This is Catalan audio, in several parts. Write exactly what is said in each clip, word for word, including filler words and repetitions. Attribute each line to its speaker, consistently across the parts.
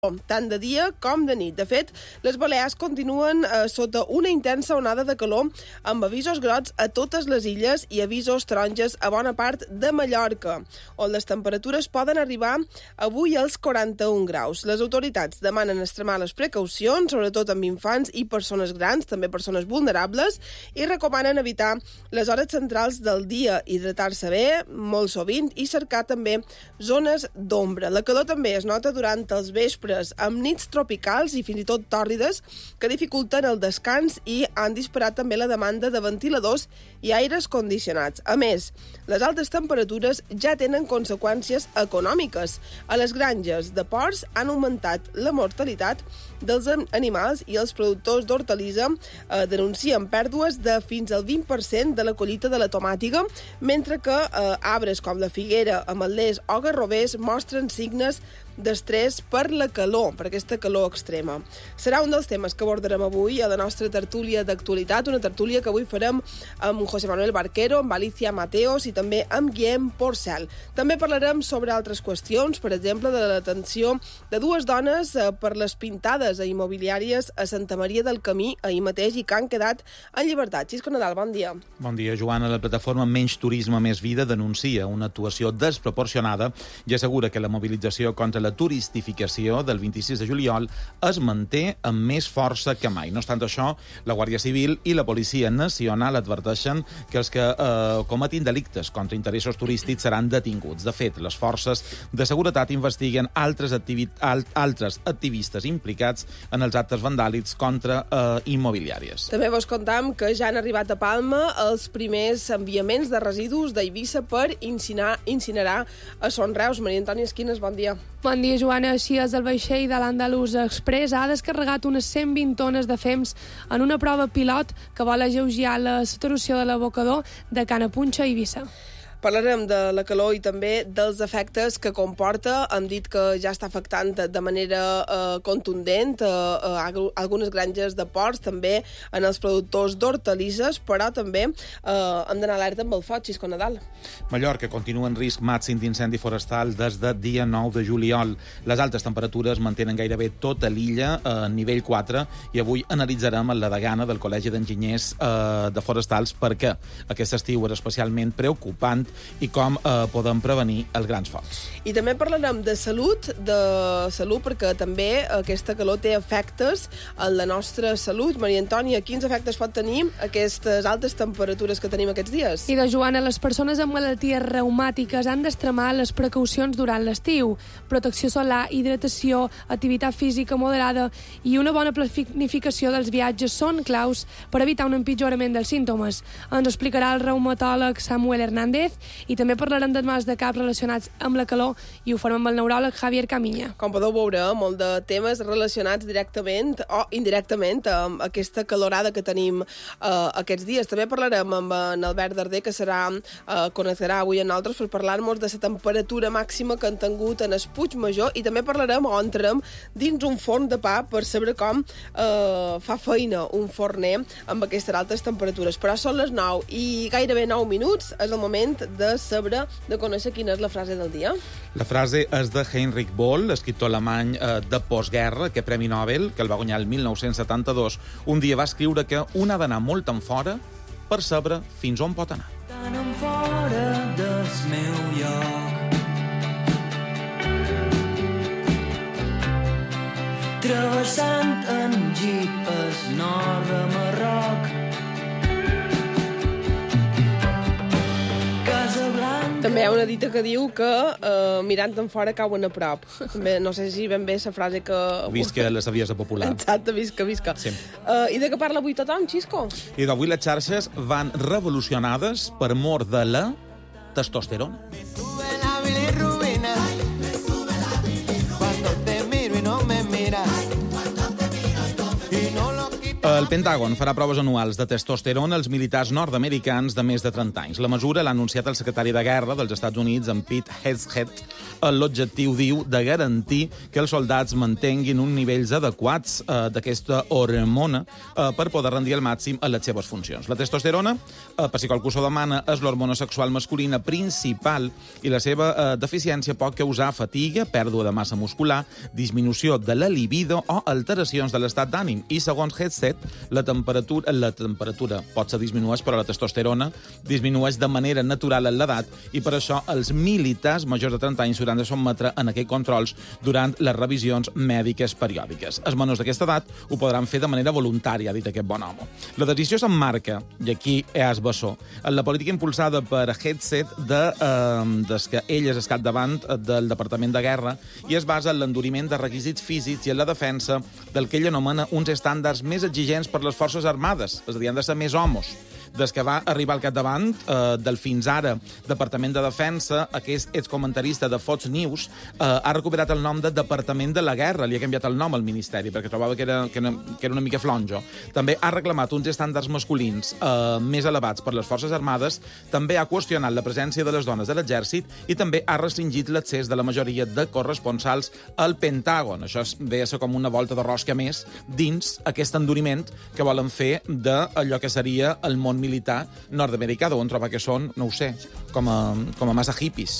Speaker 1: tant de dia com de nit. De fet, les Balears continuen eh, sota una intensa onada de calor amb avisos grocs a totes les illes i avisos taronges a bona part de Mallorca, on les temperatures poden arribar avui als quaranta-un graus. Les autoritats demanen extremar les precaucions, sobretot amb infants i persones grans, també persones vulnerables, i recomanen evitar les hores centrals del dia, hidratar-se bé, molt sovint, i cercar també zones d'ombra. La calor també es nota durant els vespres, amb nits tropicals i fins i tot tòrrides que dificulten el descans i han disparat també la demanda de ventiladors i aires condicionats. A més, les altes temperatures ja tenen conseqüències econòmiques. A les granges de porcs han augmentat la mortalitat dels animals i els productors d'hortalissa eh, denuncien pèrdues de fins al vint per cent de la collita de la tomàtiga, mentre que eh, arbres com la figuera, ametlers o garrovers mostren signes d'estrès per la calor, per aquesta calor extrema. Serà un dels temes que abordarem avui a la nostra tertúlia d'actualitat, una tertúlia que avui farem amb José Manuel Barquero, amb Alicia Mateos i també amb Guillem Porcel. També parlarem sobre altres qüestions, per exemple, de la detenció de dues dones eh, per les pintades a immobiliàries a Santa Maria del Camí ahir mateix i que han quedat en llibertat. Xisco Nadal, bon dia.
Speaker 2: Bon dia, Joana. La plataforma Menys Turisme, Més Vida denuncia una actuació desproporcionada i assegura que la mobilització contra la turistificació del vint-i-sis de juliol es manté amb més força que mai. No obstant això, la Guàrdia Civil i la Policia Nacional adverteixen que els que eh, cometin delictes contra interessos turístics seran detinguts. De fet, les forces de seguretat investiguen altres, activi alt altres activistes implicats en els actes vandàlics contra eh, immobiliàries.
Speaker 1: També vos contam que ja han arribat a Palma els primers enviaments de residus d'Eivissa per incinerar, incinerar a Son Reus. Maria Antònia Esquines, bon dia.
Speaker 3: Bon dia, Joana. Així és, el vaixell de l'Andalús Express ha descarregat unes cent vint tones de fems en una prova pilot que vol alleujar la saturació de l'abocador de Canapunxa a Eivissa.
Speaker 1: Parlarem de la calor i també dels efectes que comporta. Hem dit que ja està afectant de manera eh, contundent eh, a algunes granges de porcs, també en els productors d'hortalisses, però també eh, hem d'anar alerta amb el foc, Xisco Nadal.
Speaker 2: Mallorca continua en risc màxim d'incendi forestal des de dia nou de juliol. Les altes temperatures mantenen gairebé tota l'illa a nivell quatre i avui analitzarem la degana del Col·legi d'Enginyers eh, de Forestals perquè aquest estiu és especialment preocupant i com eh, podem prevenir els grans focs.
Speaker 1: I també parlarem de salut, de salut perquè també aquesta calor té efectes en la nostra salut. Maria Antònia, quins efectes pot tenir aquestes altes temperatures que tenim aquests dies?
Speaker 3: I de Joana, les persones amb malalties reumàtiques han d'extremar les precaucions durant l'estiu. Protecció solar, hidratació, activitat física moderada i una bona planificació dels viatges són claus per evitar un empitjorament dels símptomes. Ens explicarà el reumatòleg Samuel Hernández i també parlarem de mals de cap relacionats amb la calor i ho farem amb el neuròleg Javier Camiña.
Speaker 1: Com podeu veure, molt de temes relacionats directament o indirectament amb aquesta calorada que tenim eh, aquests dies. També parlarem amb en Albert Darder, que serà eh, connectarà avui amb nosaltres per parlar-nos de la temperatura màxima que han tingut en el Puigmajor i també parlarem o entrem dins un forn de pa per saber com eh, fa feina un forner amb aquestes altes temperatures. Però són les nou i gairebé nou minuts. És el moment de saber, de conèixer quina és la frase del dia.
Speaker 2: La frase és de Heinrich Böll, escriptor alemany eh, de postguerra, que Premi Nobel, que el va guanyar el mil nou-cents setanta-dos. Un dia va escriure que un ha d'anar molt en fora per saber fins on pot anar.
Speaker 4: Tan en fora del meu lloc, travessant en jeep el nord de Marroc.
Speaker 1: També hi ha una dita que diu que eh, mirant en fora cauen a prop. També, no sé si ben bé la frase que...
Speaker 2: Visca la saviesa popular.
Speaker 1: Exacte, visca, visca.
Speaker 2: Sí.
Speaker 1: Uh, I de què parla avui tothom, Xisco?
Speaker 2: I d'avui les xarxes van revolucionades per mor de la testosterona. El Pentàgon farà proves anuals de testosterona als militars nord-americans de més de trenta anys. La mesura l'ha anunciat el secretari de Guerra dels Estats Units, en Pete Hegseth, l'objectiu, diu, de garantir que els soldats mantenguin uns nivells adequats eh, d'aquesta hormona eh, per poder rendir al màxim a les seves funcions. La testosterona, eh, per si qualcú s'ho demana, és l'hormona sexual masculina principal i la seva eh, deficiència pot causar fatiga, pèrdua de massa muscular, disminució de la libido o alteracions de l'estat d'ànim. I segons Headset, la temperatura, la temperatura pot ser disminueix, però la testosterona disminueix de manera natural en l'edat i per això els militars majors de trenta anys s'hauran de sotmetre en aquests controls durant les revisions mèdiques periòdiques. Els menors d'aquesta edat ho podran fer de manera voluntària, ha dit aquest bon home. La decisió s'emmarca, i aquí és bessó, en la política impulsada per Headset de, eh, des que ell és escat davant del Departament de Guerra i es basa en l'enduriment de requisits físics i en la defensa del que ell anomena uns estàndards més exigents per les forces armades, és a dir, han de ser més homos. Des que va arribar al capdavant eh, del fins ara Departament de Defensa, aquest excomentarista de Fox News eh, ha recuperat el nom de Departament de la Guerra, li ha canviat el nom al Ministeri perquè trobava que era, que era, que era una mica flonjo. També ha reclamat uns estàndards masculins eh, més elevats per les Forces Armades, també ha qüestionat la presència de les dones de l'exèrcit i també ha restringit l'accés de la majoria de corresponsals al Pentàgon. Això ve a ser com una volta de rosca més dins aquest enduriment que volen fer d'allò que seria el món militar nord-americà, d'on troba que són, no ho sé, com a, com a massa hippies,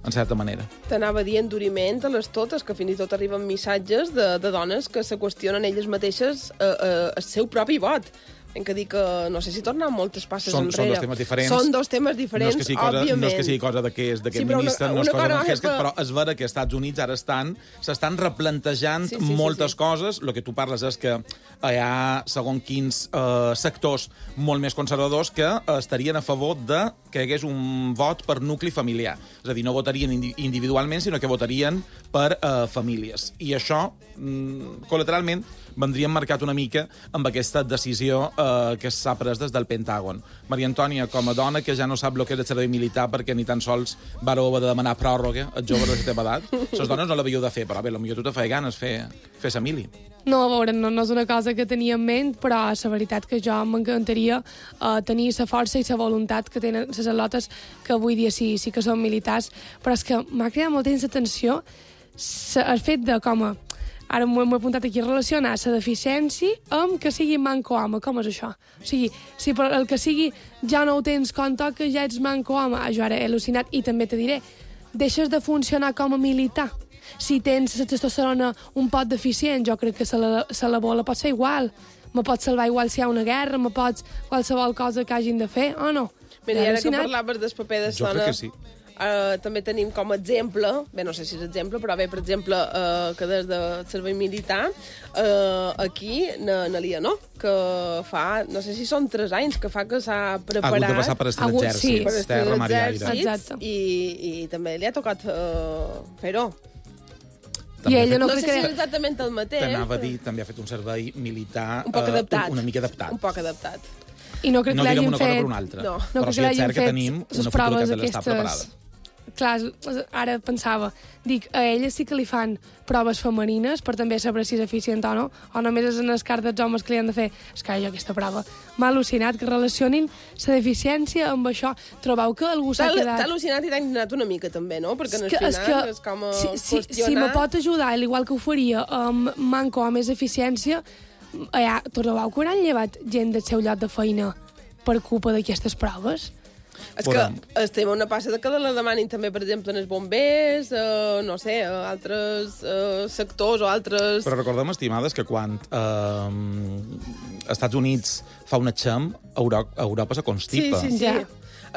Speaker 2: en certa manera.
Speaker 1: T'anava a dir enduriment a les totes, que fins i tot arriben missatges de, de dones que se qüestionen elles mateixes eh, eh, el seu propi vot. Hem que dir que no sé si tornen moltes passes
Speaker 2: són,
Speaker 1: enrere.
Speaker 2: Són dos temes diferents.
Speaker 1: Són dos temes diferents,
Speaker 2: no és que sigui cosa,
Speaker 1: òbviament.
Speaker 2: No és que sigui cosa d'aquest sí, ministre, no és cosa de Hesket, però és vera que als Estats Units ara estan s'estan replantejant sí, sí, moltes sí, sí. coses. El que tu parles és que hi ha, segons quins eh, sectors molt més conservadors que estarien a favor de que hi hagués un vot per nucli familiar. És a dir, no votarien individualment, sinó que votarien per eh, famílies. I això, mm, col·lateralment, vendríem marcat una mica amb aquesta decisió eh, que s'ha pres des del Pentàgon. Maria Antònia, com a dona que ja no sap el que és el servei militar perquè ni tan sols vareu haver de demanar pròrroga als joves de la teva edat, les dones no l'havíeu de fer, però bé, potser tu te feia ganes fer, fer sa mili.
Speaker 3: No, a veure, no, no és una cosa que tenia en ment, però la veritat que jo m'encantaria uh, tenir la força i la voluntat que tenen les al·lotes que avui dia sí, sí que són militars, però és que m'ha cridat molt temps l'atenció el fet de com a ara m'ho he apuntat aquí, relacionar la deficiència amb que sigui manco home. Com és això? O sigui, si per el que sigui ja no ho tens quan toca, ja ets manco home. Ah, jo ara he al·lucinat. I també te diré, deixes de funcionar com a militar. Si tens la testosterona un pot deficient, jo crec que se la, se la bola pot ser igual. Me pots salvar igual si hi ha una guerra, me pots qualsevol cosa que hagin de fer, o no?
Speaker 1: Mira, i ara que parlaves del paper de
Speaker 2: jo crec que sí.
Speaker 1: Uh, també tenim com a exemple, bé, no sé si és exemple, però bé, per exemple, uh, que des del servei militar, uh, aquí, na, na Lia, no? Que fa, no sé si són tres anys, que fa que s'ha preparat...
Speaker 2: Ha hagut de passar per estar l'exèrcit,
Speaker 1: sí.
Speaker 2: terra, mar i aire.
Speaker 3: Exacte.
Speaker 1: I, i també li ha tocat uh, fer-ho.
Speaker 3: I ella no,
Speaker 1: no sé
Speaker 3: que...
Speaker 1: si és exactament el mateix.
Speaker 2: T'anava a dir, també ha fet un servei militar
Speaker 1: un poc adaptat.
Speaker 2: Uh, una mica adaptat.
Speaker 1: Un poc adaptat.
Speaker 3: I no crec
Speaker 2: no
Speaker 3: que l'hagin
Speaker 2: una
Speaker 3: fet...
Speaker 2: cosa per una altra.
Speaker 3: No, no
Speaker 2: però
Speaker 3: crec
Speaker 2: sí
Speaker 3: que
Speaker 2: és cert que tenim una futura que l'està preparada.
Speaker 3: Clar, ara pensava, dic, a ella sí que li fan proves femenines per també saber si és eficient o no, o només és en el cas dels homes que li han de fer. És que jo aquesta prova m'ha al·lucinat que relacionin la deficiència amb això. Trobeu que algú s'ha quedat...
Speaker 1: T'ha al·lucinat i t'ha indignat una mica també, no? Perquè en el
Speaker 3: que,
Speaker 1: final
Speaker 3: és, que,
Speaker 1: és com a
Speaker 3: si, si,
Speaker 1: qüestionar...
Speaker 3: si me pot ajudar, igual que ho faria amb manco o més eficiència, ja, trobeu que hauran llevat gent del seu lloc de feina per culpa d'aquestes proves?
Speaker 1: És que estem a una passa de que la demanin també, per exemple, en els bombers, eh, no sé, altres eh, sectors o altres...
Speaker 2: Però recordem, estimades, que quan eh, Estats Units fa un atxam, Europa, Europa se constipa.
Speaker 1: Sí, sí, sí. Ja.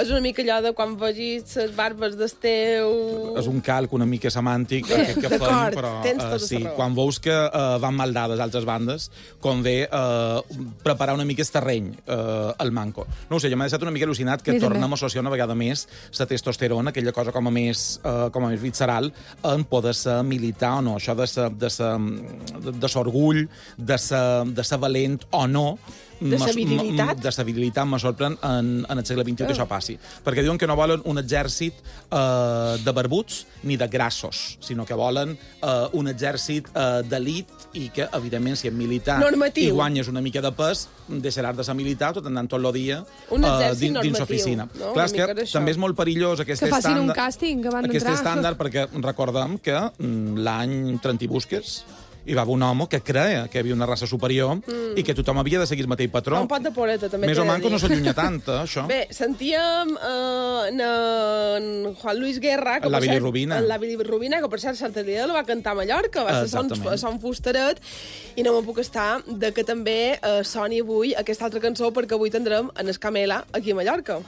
Speaker 1: És una mica allò de quan vegis les barbes del teu...
Speaker 2: És un calc una mica semàntic que, que fem, però uh, sí, quan veus que uh, van mal dades altres bandes, convé uh, preparar una mica el terreny uh, al manco. No ho sé, jo m'ha deixat una mica al·lucinat que tornem a associar una vegada més la testosterona, aquella cosa com a més, uh, com a més visceral, en poder ser militar o no. Això de ser, de ser, de ser orgull, de ser, de ser valent o no,
Speaker 1: De stabilitat?
Speaker 2: De stabilitat me sorprèn en, en el segle vint-i-u que això passi. Perquè diuen que no volen un exèrcit eh, de barbuts ni de grassos, sinó que volen eh, un exèrcit eh, d'elit i que, evidentment, si és militar
Speaker 1: normatiu.
Speaker 2: I guanyes una mica de pes, deixaràs de ser militar tot anant tot el dia
Speaker 1: un
Speaker 2: eh, dins, dins l'oficina.
Speaker 1: No?
Speaker 2: Clar, és que també és molt perillós aquest
Speaker 3: que facin
Speaker 2: estàndard,
Speaker 3: un càsting abans
Speaker 2: aquest
Speaker 3: d'entrar.
Speaker 2: estàndard, perquè recordem que mm, l'any trenta i busques hi va haver un home que creia que hi havia una raça superior mm. i que tothom havia de seguir el mateix patró.
Speaker 1: Un pot de poreta, també.
Speaker 2: Més o menys no s'allunya tant, eh, això.
Speaker 1: Bé, sentíem eh, en Juan Luis Guerra... Que
Speaker 2: la bilirrubina.
Speaker 1: La bilirrubina, que per cert, Santa Lídia la va cantar a Mallorca, va ser son, son Fustaret, i no me'n puc estar de que també eh, soni avui aquesta altra cançó, perquè avui tindrem en Escamela aquí a Mallorca.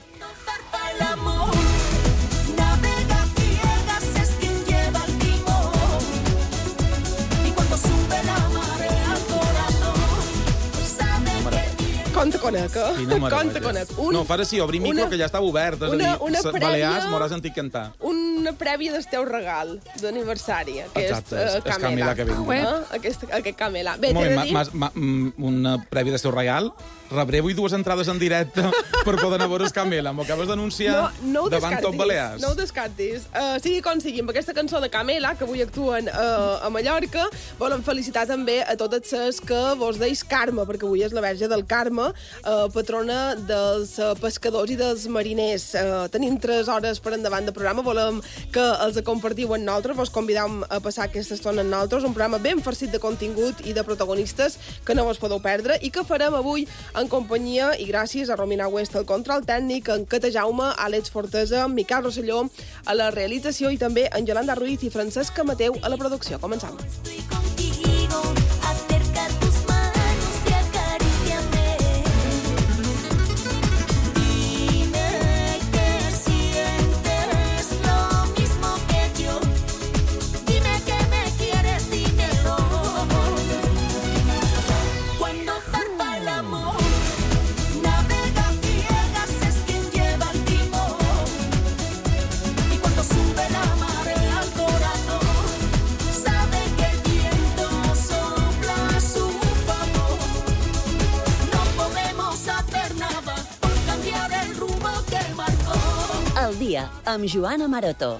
Speaker 1: Conta conec, eh? Conta conec. Un,
Speaker 2: no, farà sí, obri micro, una, que ja estava obert. És
Speaker 1: una,
Speaker 2: a dir,
Speaker 1: una prèvia,
Speaker 2: Balears m'hauràs sentit cantar.
Speaker 1: Una prèvia del teu regal d'aniversari.
Speaker 2: Exacte, és, uh, és Camela que vingui.
Speaker 1: Eh? Aquest, aquest Camela. Bé,
Speaker 2: t'he
Speaker 1: de dir...
Speaker 2: Ma, ma, ma, una prèvia del teu regal. Rebré avui dues entrades en directe per poder anar a veure Camela. M'ho acabes d'anunciar no, no davant tot Balears.
Speaker 1: No ho descartis. Uh, sigui com sigui, amb aquesta cançó de Camela, que avui actuen uh, a Mallorca, volem felicitar també a totes les que vos deis Carme, perquè avui és la verge del Carme, uh, patrona dels uh, pescadors i dels mariners. Uh, tenim tres hores per endavant de programa, volem que els compartiu amb nosaltres, vos convidam a passar aquesta estona amb nosaltres, un programa ben farcit de contingut i de protagonistes que no vos podeu perdre i que farem avui en companyia i gràcies a Romina West, el control tècnic, en Cata Jaume, Àlex Fortesa, Miquel Rosselló a la realització i també en Yolanda Ruiz i Francesca Mateu a la producció. Començam.
Speaker 5: El dia amb Joana Maroto.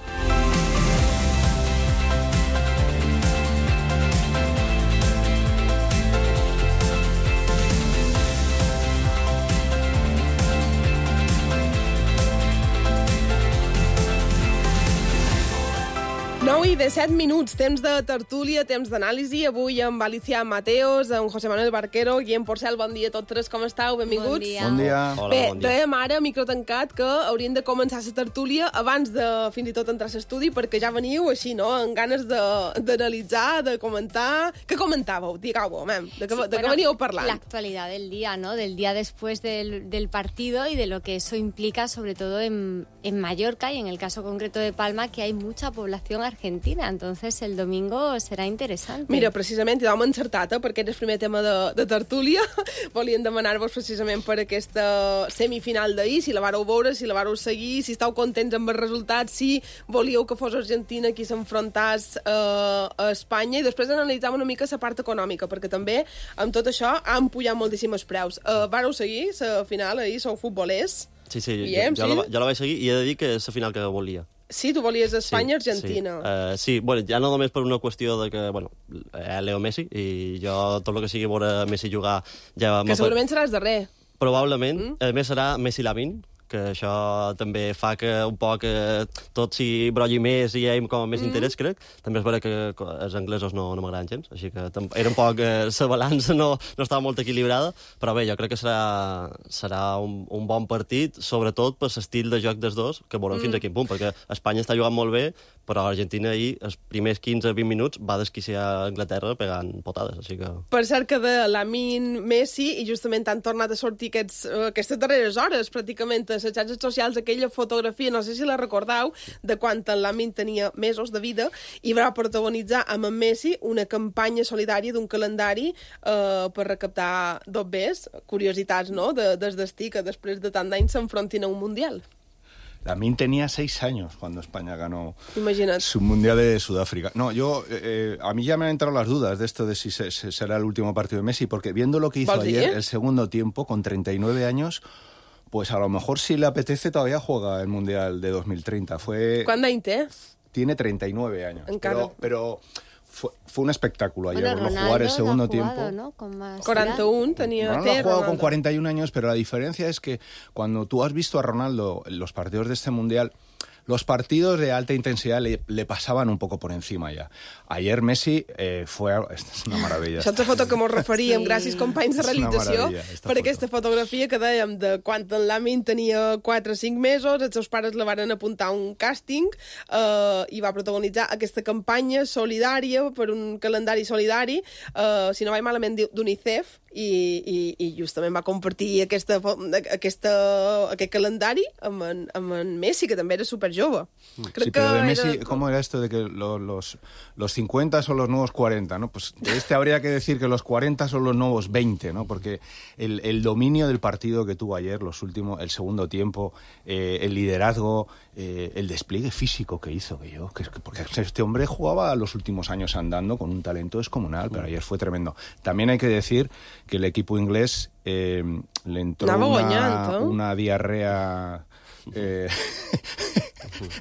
Speaker 1: nou i disset minuts, temps de tertúlia, temps d'anàlisi. Avui amb Alicia Mateos, amb José Manuel Barquero, Guillem Porcel, bon dia a tots tres, com estàu? Benvinguts.
Speaker 6: Bon dia. Bon dia.
Speaker 2: Hola,
Speaker 1: Bé,
Speaker 2: bon dia.
Speaker 1: dèiem ara, micro tancat, que haurien de començar la tertúlia abans de fins i tot entrar a l'estudi, perquè ja veniu així, no?, amb ganes d'analitzar, de, de comentar... Què comentàveu? Digueu-ho, de, de, sí, de què veníeu parlant?
Speaker 6: La actualidad del día, ¿no? Del día después del, del partido y de lo que eso implica, sobre todo en, en Mallorca y en el caso concreto de Palma, que hay mucha población argentina. Entonces, el domingo serà interessant.
Speaker 1: Mira, precisament, i vam encertat, eh, perquè era el primer tema de, de tertúlia. Volien demanar-vos precisament per aquesta semifinal d'ahir, si la vareu veure, si la vareu seguir, si estàu contents amb el resultat, si volíeu que fos Argentina qui s'enfrontàs eh, a Espanya, i després analitzàvem una mica la part econòmica, perquè també, amb tot això, han pujat moltíssims preus. Eh, vareu seguir la final ahir, sou futbolers?
Speaker 7: Sí, sí,
Speaker 1: Guillem,
Speaker 7: jo, jo,
Speaker 1: sí?
Speaker 7: la, jo la vaig seguir i he de dir que és la final que volia.
Speaker 1: Sí, tu volies Espanya-Argentina.
Speaker 7: Sí, uh, sí, bueno, ja no només per una qüestió de que, bueno, eh, Leo Messi, i jo tot el que sigui veure Messi jugar... Ja
Speaker 1: que segurament seràs darrer.
Speaker 7: Probablement.
Speaker 1: Mm?
Speaker 7: A més serà Messi-Lamin, que això també fa que un poc eh, tot s'hi brolli més i hi hagi com més mm. interès, crec. També és vera que els anglesos no, no m'agraden gens, així que era un poc... Eh, la balança no, no estava molt equilibrada, però bé, jo crec que serà, serà un, un bon partit, sobretot per l'estil de joc dels dos, que veurem mm. fins a quin punt, perquè Espanya està jugant molt bé, però Argentina ahir, els primers quinze a vint minuts, va desquiciar a Anglaterra pegant potades, així que...
Speaker 1: Per cert que de Lamin, Messi, i justament han tornat a sortir aquests, aquestes darreres hores, pràcticament, a les xarxes socials, aquella fotografia, no sé si la recordeu, de quan en Lamin tenia mesos de vida, i va protagonitzar amb en Messi una campanya solidària d'un calendari eh, per recaptar dobbers, curiositats, no?, de, des destí que després de tant d'anys s'enfrontin a un Mundial.
Speaker 8: Lamine tenía seis años cuando España ganó
Speaker 1: Imagina't.
Speaker 8: su Mundial de Sudáfrica. No, yo, eh, a mí ya me han entrado las dudas de esto de si se, se, será el último partido de Messi, porque viendo lo que hizo ayer, el segundo tiempo, con treinta y nueve años, pues a lo mejor si le apetece todavía juega el Mundial de dos mil treinta. Fue...
Speaker 1: ¿Quant d'any té?
Speaker 8: Tiene treinta y nueve años.
Speaker 1: Encara.
Speaker 8: Pero... pero Fue, fue un espectáculo ayer,
Speaker 6: bueno,
Speaker 8: verlo jugar el segundo
Speaker 6: ha jugado,
Speaker 8: tiempo.
Speaker 6: ¿no? Con más
Speaker 1: cuarenta y uno tenía.
Speaker 8: Ronaldo ha jugado con cuarenta y un años, pero la diferencia es que cuando tú has visto a Ronaldo en los partidos de este Mundial, los partidos de alta intensidad le, le pasaban un poco por encima ja. Ayer Messi eh, fue... És una meravella.
Speaker 1: Això és la foto que mos referíem, sí. Gràcies companys de realització, per
Speaker 8: foto.
Speaker 1: Aquesta fotografia que dèiem de quan en Lamine tenia quatre o cinc mesos, els seus pares la van apuntar a un càsting eh, i va protagonitzar aquesta campanya solidària per un calendari solidari, eh, si no vaig malament, d'UNICEF, i, i, i justament va compartir aquesta, aquesta, aquest calendari amb en, amb en Messi, que també era superjove. Crec
Speaker 8: sí, pero de
Speaker 1: que
Speaker 8: Messi,
Speaker 1: era...
Speaker 8: ¿cómo era esto de que los, los, los cincuenta son los nuevos cuarenta? ¿No? Pues de este habría que decir que los cuarenta son los nuevos veinte, ¿no? Porque el, el dominio del partido que tuvo ayer, los últimos, el segundo tiempo, eh, el liderazgo, eh, el despliegue físico que hizo, que yo, que, porque este hombre jugaba los últimos años andando con un talento descomunal, pero ayer fue tremendo. También hay que decir que el equipo inglés eh, le entró una, una diarrea eh,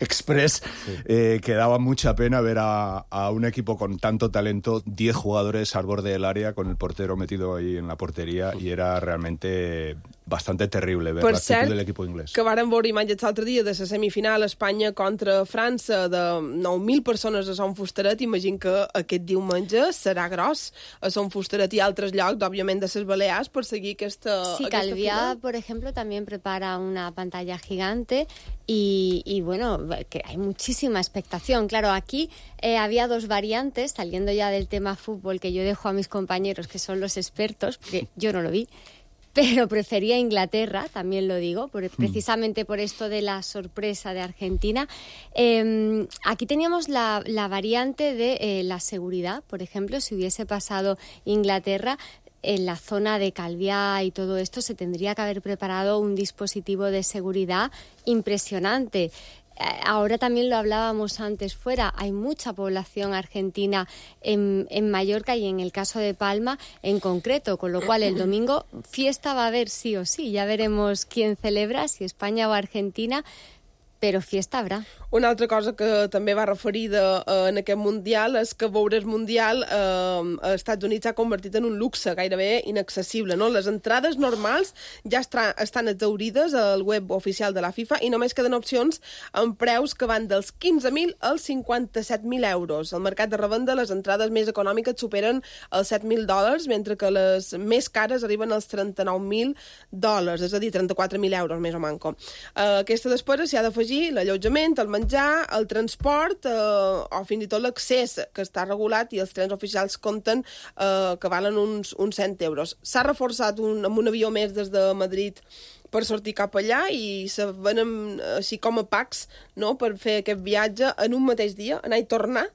Speaker 8: express eh, que daba mucha pena ver a, a un equipo con tanto talento, diez jugadores al borde del área con el portero metido ahí en la portería, y era realmente bastante terrible ver
Speaker 1: per
Speaker 8: l'actitud
Speaker 1: cert,
Speaker 8: de l'equip inglès.
Speaker 1: Que varen veure imatges l'altre dia de la semifinal Espanya contra França de nou mil persones a Son Fustaret. Imagino que aquest diumenge serà gros a Son Fustaret i altres llocs, òbviament de les Balears, per seguir aquesta
Speaker 6: Sí,
Speaker 1: aquesta
Speaker 6: Calviá,
Speaker 1: final.
Speaker 6: por ejemplo, también prepara una pantalla gigante y, y bueno, que hay muchísima expectación. Claro, aquí eh, había dos variantes, saliendo ya del tema fútbol, que yo dejo a mis compañeros, que son los expertos, porque yo no lo vi, pero prefería Inglaterra, también lo digo, por, precisamente por esto de la sorpresa de Argentina. Eh, aquí teníamos la, la variante de eh, la seguridad, por ejemplo, si hubiese pasado Inglaterra, en la zona de Calviá y todo esto se tendría que haber preparado un dispositivo de seguridad impresionante. Ahora también lo hablábamos antes fuera, hay mucha población argentina en, en Mallorca y en el caso de Palma en concreto, con lo cual el domingo fiesta va a haber sí o sí, ya veremos quién celebra, si España o Argentina, però fiesta habrà.
Speaker 1: Una altra cosa que també va referida eh, en aquest Mundial és que veure el Mundial eh, als Estats Units s'ha convertit en un luxe gairebé inaccessible, no? Les entrades normals ja estra, estan exhaurides al web oficial de la FIFA i només queden opcions amb preus que van dels quinze mil als cinquanta-set mil euros. Al mercat de revenda les entrades més econòmiques superen els set mil dòlars, mentre que les més cares arriben als trenta-nou mil dòlars, és a dir, trenta-quatre mil euros més o manco. Eh, aquesta despesa s'hi ha d'afegir l'allotjament, el menjar, el transport eh, o fins i tot l'accés, que està regulat, i els trens oficials compten eh, que valen uns, uns cent euros. S'ha reforçat un, amb un avió més des de Madrid per sortir cap allà i se venen així com a packs, no?, per fer aquest viatge en un mateix dia, anar i tornar,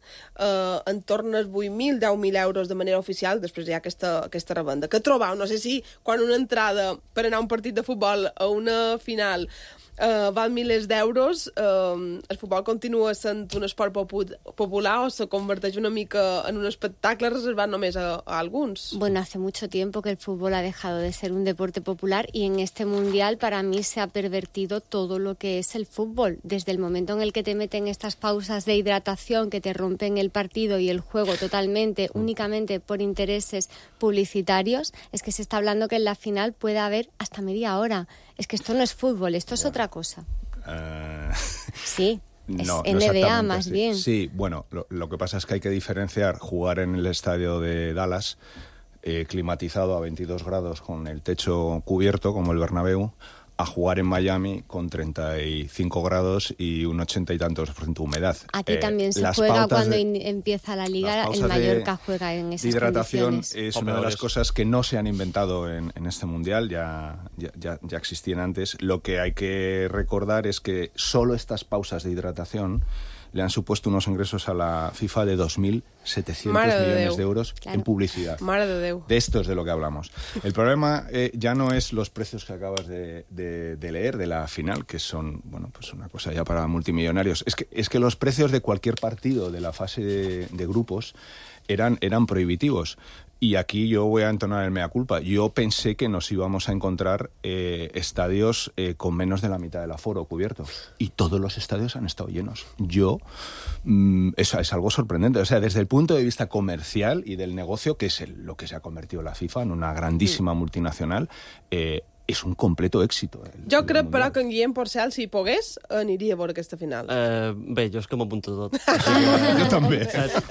Speaker 1: eh, en torn als vuit mil, deu mil euros de manera oficial. Després hi ha aquesta, aquesta revenda. Que trobau? No sé si quan una entrada per anar a un partit de futbol a una final Uh, val milers d'euros, uh, el futbol continua sent un esport popu popular o se converteix una mica en un espectacle reservat només a, a alguns.
Speaker 6: Bueno, hace mucho tiempo que el fútbol ha dejado de ser un deporte popular y en este Mundial para mí se ha pervertido todo lo que es el fútbol. Desde el momento en el que te meten estas pausas de hidratación que te rompen el partido y el juego totalmente, únicamente por intereses publicitarios, es que se está hablando que en la final puede haber hasta media hora. Es que esto no es fútbol, esto es bueno. otra cosa.
Speaker 8: Uh...
Speaker 6: Sí,
Speaker 8: no,
Speaker 6: es N B A
Speaker 8: no
Speaker 6: más
Speaker 8: sí.
Speaker 6: bien.
Speaker 8: Sí, bueno, lo, lo que pasa es que hay que diferenciar jugar en el estadio de Dallas, eh, climatizado a veintidós grados con el techo cubierto, como el Bernabéu, a jugar en Miami con treinta y cinco grados y un ochenta y tantos por ciento de humedad.
Speaker 6: Aquí eh, también se juega cuando de, empieza la liga, el Mallorca de, juega en esas
Speaker 8: de hidratación
Speaker 6: condiciones.
Speaker 8: Es una de las cosas que no se han inventado en, en este Mundial, ya, ya, ya, ya existían antes. Lo que hay que recordar es que solo estas pausas de hidratación le han supuesto unos ingresos a la FIFA de dos mil setecientos millones de euros claro. en publicidad.
Speaker 1: Mare de Déu.
Speaker 8: De esto es de lo que hablamos. El problema eh, ya no es los precios que acabas de, de, de leer de la final, que son, bueno, pues una cosa ya para multimillonarios. Es que, es que los precios de cualquier partido de la fase de, de grupos eran, eran prohibitivos. Y aquí yo voy a entonar el mea culpa. Yo pensé que nos íbamos a encontrar eh, estadios eh, con menos de la mitad del aforo cubierto. Y todos los estadios han estado llenos. Yo, mmm, eso es algo sorprendente. O sea, desde el punto de vista comercial y del negocio, que es el, lo que se ha convertido la FIFA en una grandísima sí. multinacional, eh, és un completo èxit. El,
Speaker 1: jo crec, el però, que en Guillem Porcel, si pogués, aniria a veure aquesta final.
Speaker 7: Uh, bé, jo és que m'apunto tot.
Speaker 8: Jo també.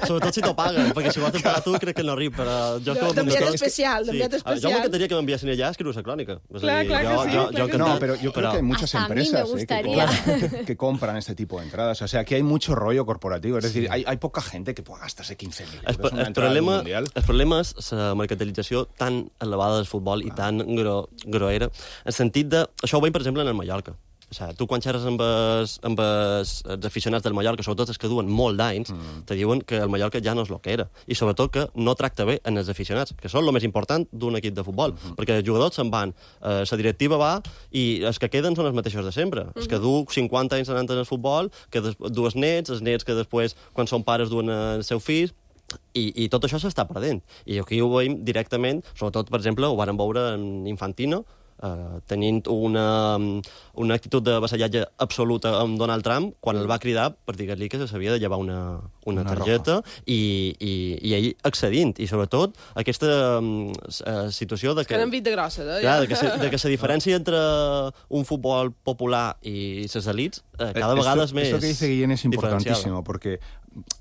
Speaker 7: Sobretot si t'ho paguen, perquè si ho has de pagar tu crec que no arriba, però jo és que m'apunto tot.
Speaker 1: D'enviat especial, d'enviat
Speaker 7: sí.
Speaker 1: especial.
Speaker 7: Jo m'encantaria que m'enviessin allà a escriure la crònica.
Speaker 1: Clar, clar que sí.
Speaker 8: Yo, yo, yo no, pero yo creo que hay muchas empresas eh, que, compran, que compran este tipo de entradas. O sea, aquí hay mucho rollo corporativo. Es decir, hay, hay poca gente que pueda gastarse quince mil euros en una entrada del Mundial.
Speaker 7: El problema és la mercantilització tan elevada del futbol i tan gro, groera, en sentit de... Això ho veiem, per exemple, en el Mallorca. O sigui, tu quan xerres amb, els, amb els, els aficionats del Mallorca, sobretot els que duen molt d'anys, mm. te diuen que el Mallorca ja no és el que era. I sobretot que no tracta bé en els aficionats, que són el més important d'un equip de futbol. Mm -hmm. Perquè els jugadors se'n van, eh, la directiva va, i els que queden són els mateixos de sempre. Mm -hmm. Els que du cinquanta anys anant en el futbol, que des, dues nets, els nets que després, quan són pares, duen el seu fill, I, i tot això s'està perdent. I aquí ho veiem directament, sobretot, per exemple, ho vàrem veure en Infantino, Uh, tenint una, una actitud de vassallatge absoluta amb Donald Trump quan el va cridar per dir-li que s'havia de llevar una, una, una targeta i, i, i ell accedint. I sobretot aquesta um, uh, situació de que...
Speaker 1: Que n'han vist de grosses, eh?
Speaker 7: Clar, de que, se, de que la diferència entre un futbol popular i les elites uh, cada vegada
Speaker 8: esto,
Speaker 7: és més
Speaker 8: Esto que dice Guillén es importantísimo, porque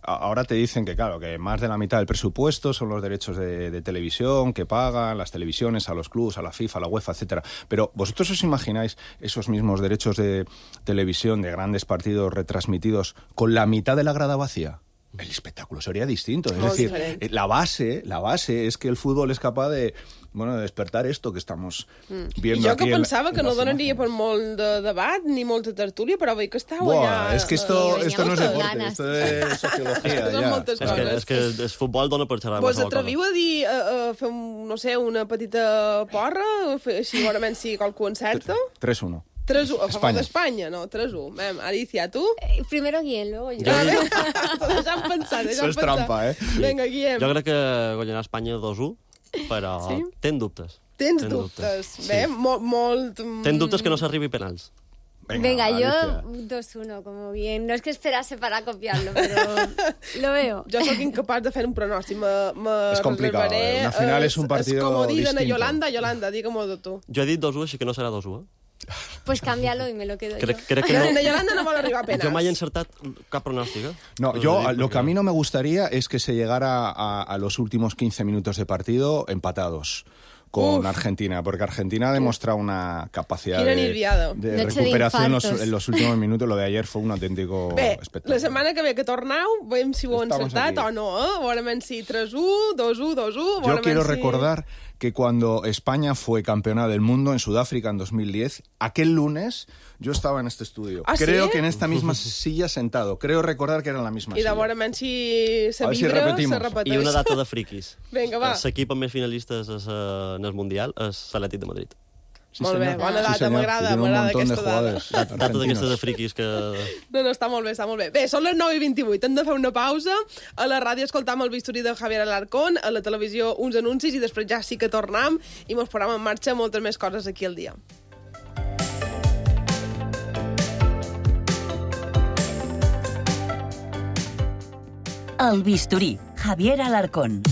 Speaker 8: ahora te dicen que, claro, que más de la mitad del presupuesto son los derechos de, de televisión que pagan las televisiones a los clubs, a la FIFA, a la UEFA, etcétera. Pero ¿vosotros os imagináis esos mismos derechos de televisión de grandes partidos retransmitidos con la mitad de la grada vacía? El espectáculo sería distinto. Es
Speaker 1: Muy
Speaker 8: decir,
Speaker 1: diferente.
Speaker 8: la base, la base es que el fútbol es capaz de, bueno, de despertar esto que estamos mm. viendo
Speaker 1: I jo
Speaker 8: aquí.
Speaker 1: que pensava
Speaker 8: en,
Speaker 1: que
Speaker 8: en
Speaker 1: no donaria per molt de debat ni molta tertúlia, però veig que estàu
Speaker 8: Buah,
Speaker 1: allà...
Speaker 8: es que esto,
Speaker 6: eh,
Speaker 8: esto no es deporte,
Speaker 6: ganas.
Speaker 8: esto es sociología.
Speaker 1: Són
Speaker 8: ya.
Speaker 1: moltes
Speaker 7: És que,
Speaker 1: coses.
Speaker 7: és que el futbol dona per xerrar
Speaker 1: Vos
Speaker 7: qualsevol cosa.
Speaker 1: atreviu a dir, a, a fer, un, no sé, una petita porra? Fer, així, segurament, si qualcú encerta?
Speaker 8: tres uno.
Speaker 1: tres u, a favor
Speaker 8: Espanya.
Speaker 1: d'Espanya, no? tres u. Mem, Alicia, tu?
Speaker 6: Eh, primero Guillem, luego yo.
Speaker 1: A veure, deixa'm pensar, deixa'm
Speaker 8: Eso es
Speaker 1: pensar.
Speaker 8: trampa, eh?
Speaker 1: Vinga, Guillem.
Speaker 7: Jo crec que guanyarà Espanya dos u, però
Speaker 1: Sí?
Speaker 7: ten dubtes.
Speaker 1: Tens
Speaker 7: ten
Speaker 1: dubtes.
Speaker 7: Sí.
Speaker 1: Bé, molt... molt mm,
Speaker 7: Ten dubtes que no s'arribi penals.
Speaker 6: Venga, yo
Speaker 8: Alicia.
Speaker 6: dos uno, como bien. No es que esperase para copiarlo, pero lo veo.
Speaker 1: Jo sóc incapaç de fer un pronòstic. Me, me
Speaker 8: És complicat,
Speaker 1: reservaré,
Speaker 8: eh? Una final
Speaker 1: eh,
Speaker 8: és un partido
Speaker 1: És com dir
Speaker 8: distinto.
Speaker 1: Yolanda, Yolanda, digue-m'ho tu.
Speaker 7: Jo he dit dos u, així que no serà dos u, eh?
Speaker 6: Pues cámbialo y me lo quedo
Speaker 7: Crec,
Speaker 6: yo.
Speaker 7: crec que no.
Speaker 1: De Yolanda no vol arribar a penals.
Speaker 7: Jo mai he encertat cap pronòstic, eh?
Speaker 8: No,
Speaker 7: Us ho
Speaker 8: yo
Speaker 7: dic
Speaker 8: lo que
Speaker 7: perquè-
Speaker 8: a mí no me gustaría es que se llegara a, a los últimos quince minutos de partido empatados con
Speaker 1: Uf.
Speaker 8: Argentina, porque Argentina ha demostrado una capacidad
Speaker 1: Quina
Speaker 8: de,
Speaker 1: nerviada.
Speaker 8: de
Speaker 6: Noche de
Speaker 8: recuperación en los,
Speaker 6: infartos.
Speaker 8: en los últimos minutos. Lo de ayer fue un auténtico
Speaker 1: Bé,
Speaker 8: espectáculo.
Speaker 1: la setmana que ve que torneu, veiem si ho heu
Speaker 8: Estamos
Speaker 1: encertat
Speaker 8: aquí.
Speaker 1: o no, eh? Veurem si tres u, dos u, dos u...
Speaker 8: Yo quiero recordar que cuando España fue campeona del mundo en Sudáfrica en dos mil diez, aquel lunes yo estaba en este estudio.
Speaker 1: ¿Ah,
Speaker 8: Creo
Speaker 1: sí?
Speaker 8: que en esta misma silla sentado. Creo recordar que era en la misma
Speaker 1: I de
Speaker 8: silla.
Speaker 1: veurem si se
Speaker 8: A ver si
Speaker 1: vibra,
Speaker 8: repetimos.
Speaker 1: se repeteix.
Speaker 7: I una data de friquis.
Speaker 1: Vinga, va.
Speaker 7: L'equip amb més finalistes és, uh, en el Mundial és l'Atlètic de Madrid.
Speaker 8: Sí,
Speaker 1: Molt bé,
Speaker 8: señor.
Speaker 1: bona
Speaker 8: Sí,
Speaker 1: data,
Speaker 8: señor.
Speaker 1: m'agrada,
Speaker 8: Tiene un
Speaker 1: m'agrada
Speaker 8: montón de
Speaker 1: aquesta dada.
Speaker 8: jugadores
Speaker 7: Data
Speaker 8: argentinos.
Speaker 7: d'aquestes de friquis que...
Speaker 1: No, no, està molt bé, està molt bé. Bé, són les nou i vint-i-vuit, hem de fer una pausa. A la ràdio escoltam el bisturí de Javier Alarcón, a la televisió uns anuncis i després ja sí que tornem i mos posarem en marxa moltes més coses aquí al dia.
Speaker 5: El bisturí, Javier Alarcón.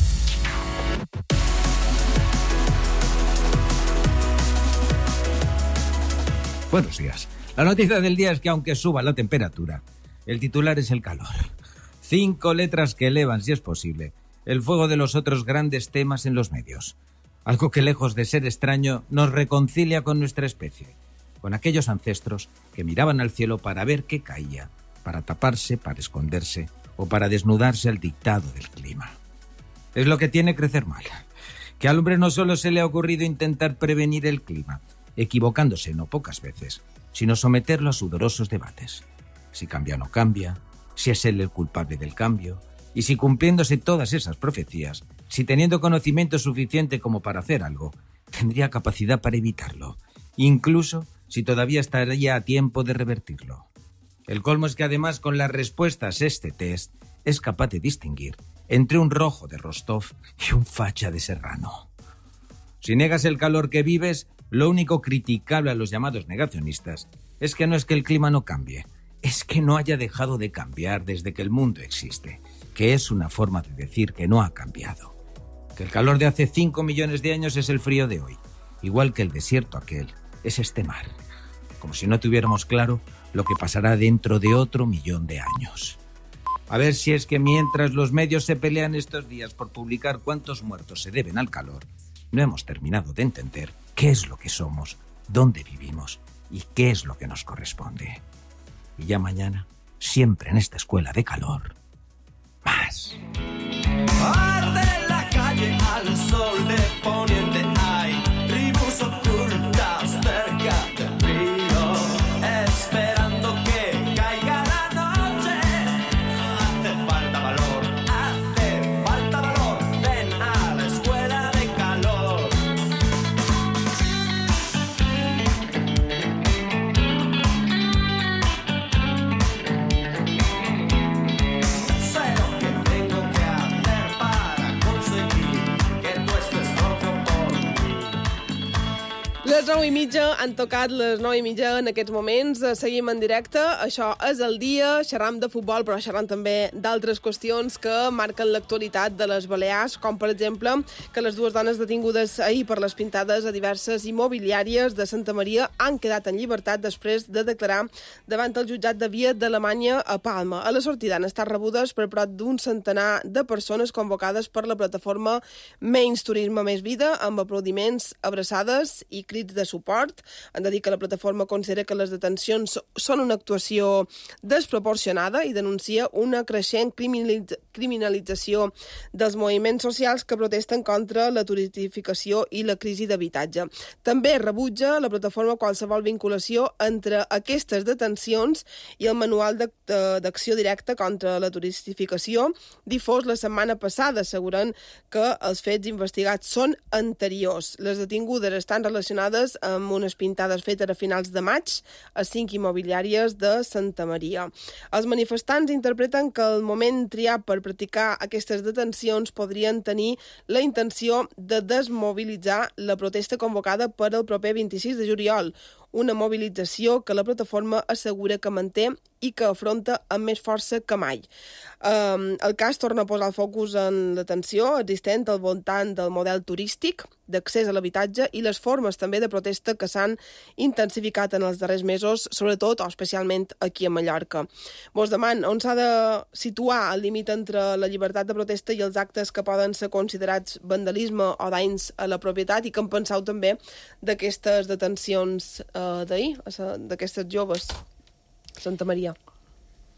Speaker 9: Buenos días. La noticia del día es que aunque suba la temperatura, el titular es el calor. Cinco letras que elevan, si es posible, el fuego de los otros grandes temas en los medios. Algo que, lejos de ser extraño, nos reconcilia con nuestra especie, con aquellos ancestros que miraban al cielo para ver qué caía, para taparse, para esconderse o para desnudarse al dictado del clima. Es lo que tiene crecer mal, que al hombre no solo se le ha ocurrido intentar prevenir el clima, equivocándose no pocas veces, sino someterlo a sudorosos debates. Si cambia o no cambia, si es él el culpable del cambio, y si cumpliéndose todas esas profecías, si teniendo conocimiento suficiente como para hacer algo, tendría capacidad para evitarlo, incluso si todavía estaría a tiempo de revertirlo. El colmo es que además con las respuestas a este test es capaz de distinguir entre un rojo de Rostov y un facha de Serrano. Si negas el calor que vives, lo único criticable a los llamados negacionistas es que no es que el clima no cambie, es que no haya dejado de cambiar desde que el mundo existe, que es una forma de decir que no ha cambiado. Que el calor de hace cinco millones de años es el frío de hoy, igual que el desierto aquel es este mar. Como si no tuviéramos claro lo que pasará dentro de otro millón de años. A ver si es que mientras los medios se pelean estos días por publicar cuántos muertos se deben al calor, no hemos terminado de entender qué es lo que somos, dónde vivimos y qué es lo que nos corresponde. Y ya mañana, siempre en esta escuela de calor, más.
Speaker 4: Arde la calle al sol de poniente, hay tribus ocultas cerca del río, esperando que caiga la noche. Hace falta valor, hace falta valor, ven a la escuela de calor. Sé lo que tengo que hacer para conseguir que tú estés loco por mí.
Speaker 1: Les nou i mitja han tocat les nou i mitja en aquests moments. Seguim en directe. Això és el dia. Xerram de futbol, però xerram també d'altres qüestions que marquen l'actualitat de les Balears, com per exemple que les dues dones detingudes ahir per les pintades a diverses immobiliàries de Santa Maria han quedat en llibertat després de declarar davant el jutjat de via d'Alemanya a Palma. A la sortida han estat rebudes per prop d'un centenar de persones convocades per la plataforma Menys Turisme Més Vida, amb aplaudiments, abraçades i crits de suport. Han de dir que la plataforma considera que les detencions són una actuació desproporcionada i denuncia una creixent criminalitz- criminalització dels moviments socials que protesten contra la turistificació i la crisi d'habitatge. També rebutja la plataforma qualsevol vinculació entre aquestes detencions i el manual de- de- d'acció directa contra la turistificació difós la setmana passada, assegurant que els fets investigats són anteriors. Les detingudes estan relacionades amb unes pintades fetes a finals de maig a cinc immobiliàries de Santa Maria. Els manifestants interpreten que el moment triat per practicar aquestes detencions podrien tenir la intenció de desmobilitzar la protesta convocada per al proper vint-i-sis de juliol, una mobilització que la plataforma assegura que manté i que afronta amb més força que mai. Um, el cas torna a posar el focus en la tensió existent al voltant del model turístic, d'accés a l'habitatge i les formes també de protesta que s'han intensificat en els darrers mesos, sobretot o especialment aquí a Mallorca. Vos deman on s'ha de situar el límit entre la llibertat de protesta i els actes que poden ser considerats vandalisme o danys a la propietat, i que en penseu també d'aquestes detencions uh, d'ahir, d'aquestes joves a Santa Maria.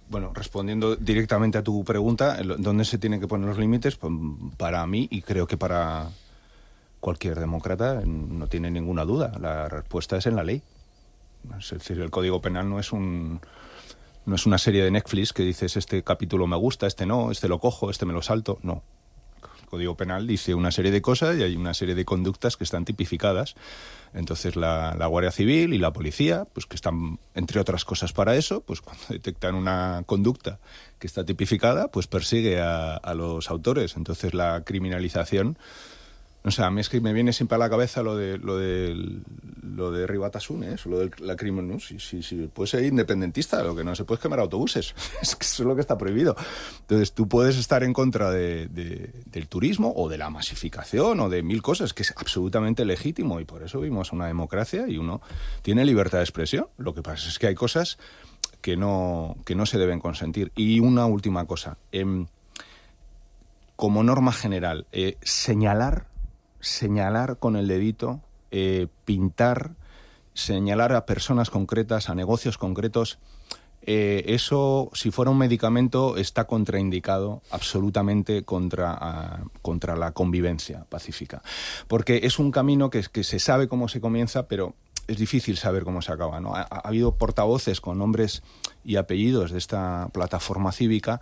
Speaker 8: Bueno, respondiendo directamente a tu pregunta, ¿dónde se tienen que poner los límites? Pues para mí, y creo que para cualquier demócrata, no tiene ninguna duda. La respuesta es en la ley. Es decir, el Código Penal no es un no es una serie de Netflix que dices este capítulo me gusta, este no, este lo cojo, este me lo salto. No. El Código Penal dice una serie de cosas y hay una serie de conductas que están tipificadas. Entonces la, la Guardia Civil y la policía, pues que están, entre otras cosas para eso, pues cuando detectan una conducta que está tipificada, pues persigue a, a los autores. Entonces la criminalización, o sea, a mí es que me viene siempre a la cabeza lo de lo de lo de Ribatasuna, ¿eh? Lo de la crimen, ¿no? Si, si, si puedes ser independentista, lo que no se puede es quemar autobuses. Es que eso es lo que está prohibido. Entonces tú puedes estar en contra de, de, del turismo o de la masificación o de mil cosas, que es absolutamente legítimo, y por eso vivimos una democracia y uno tiene libertad de expresión. Lo que pasa es que hay cosas que no, que no se deben consentir. Y una última cosa. Eh, como norma general, eh, señalar señalar con el dedito, eh, pintar, señalar a personas concretas, a negocios concretos, eh, eso, si fuera un medicamento, está contraindicado absolutamente contra, a, contra la convivencia pacífica. Porque es un camino que, que se sabe cómo se comienza, pero es difícil saber cómo se acaba, ¿no? Ha, ha habido portavoces con nombres y apellidos de esta plataforma cívica